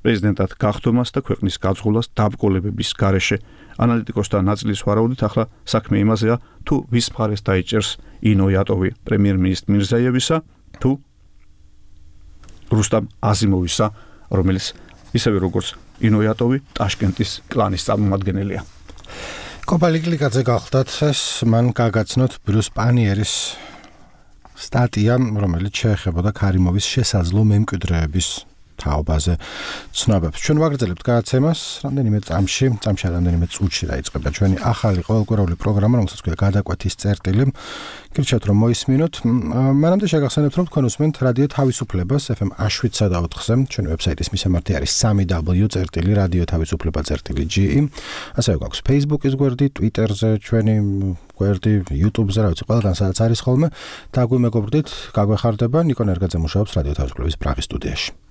პრეზიდენტად გახდომას და ქვეყნის გაძღოლას დაბრკოლებების გარეშე. ანალიტიკოსთა ნაწილის ვარაუდით ახლა საქმე იმაზეა, თუ ვის მხარეს დაიჭერს ინოიატოვი, პრემიერ-მინისტრ მირზაიევისა თუ რუსტამ აზიმოვისა, რომელიც ისევე როგორც ინოიატოვი ტაშკენტის კლანის წარმომადგენელია.
კოპალიკლიკაძე გახლდათ ეს მან გაგაცნოთ ბრიუს პანიერის სტატია, რომელიც შეეხებოდა ქარიმოვის შესაძლო მემკვიდრეების თაობაზე ცნობებს. ჩვენ ვაგრძელებთ გადაცემას რამდენიმე წამში რამდენიმე წუთში დაიწყება ჩვენი ახალი ყოველკვირეული პროგრამა, რომელსაც ქვია გადაკვეთის წერტილი. გირჩევთ რომ მოისმინოთ. მანამდე შეგახსენებთ რომ თქვენ უსმენთ რადიო თავისუფლებას FM 7/4-ზე. ჩვენი ვებსაიტის მისამართი არის www.radioთავისუფლება.ge. ასევე გვაქვს Facebook-ის გვერდი, Twitter-ზე ჩვენი გვერდი, YouTube-ზე, რა ვიცი, ყველგან სადაც არის ხოლმე. და გვიმეგობრდით, გაგვეხარდება. ნიკო ნერგაძე მუშაობს რადიო თავისუფლების პრაღის სტუდიაში.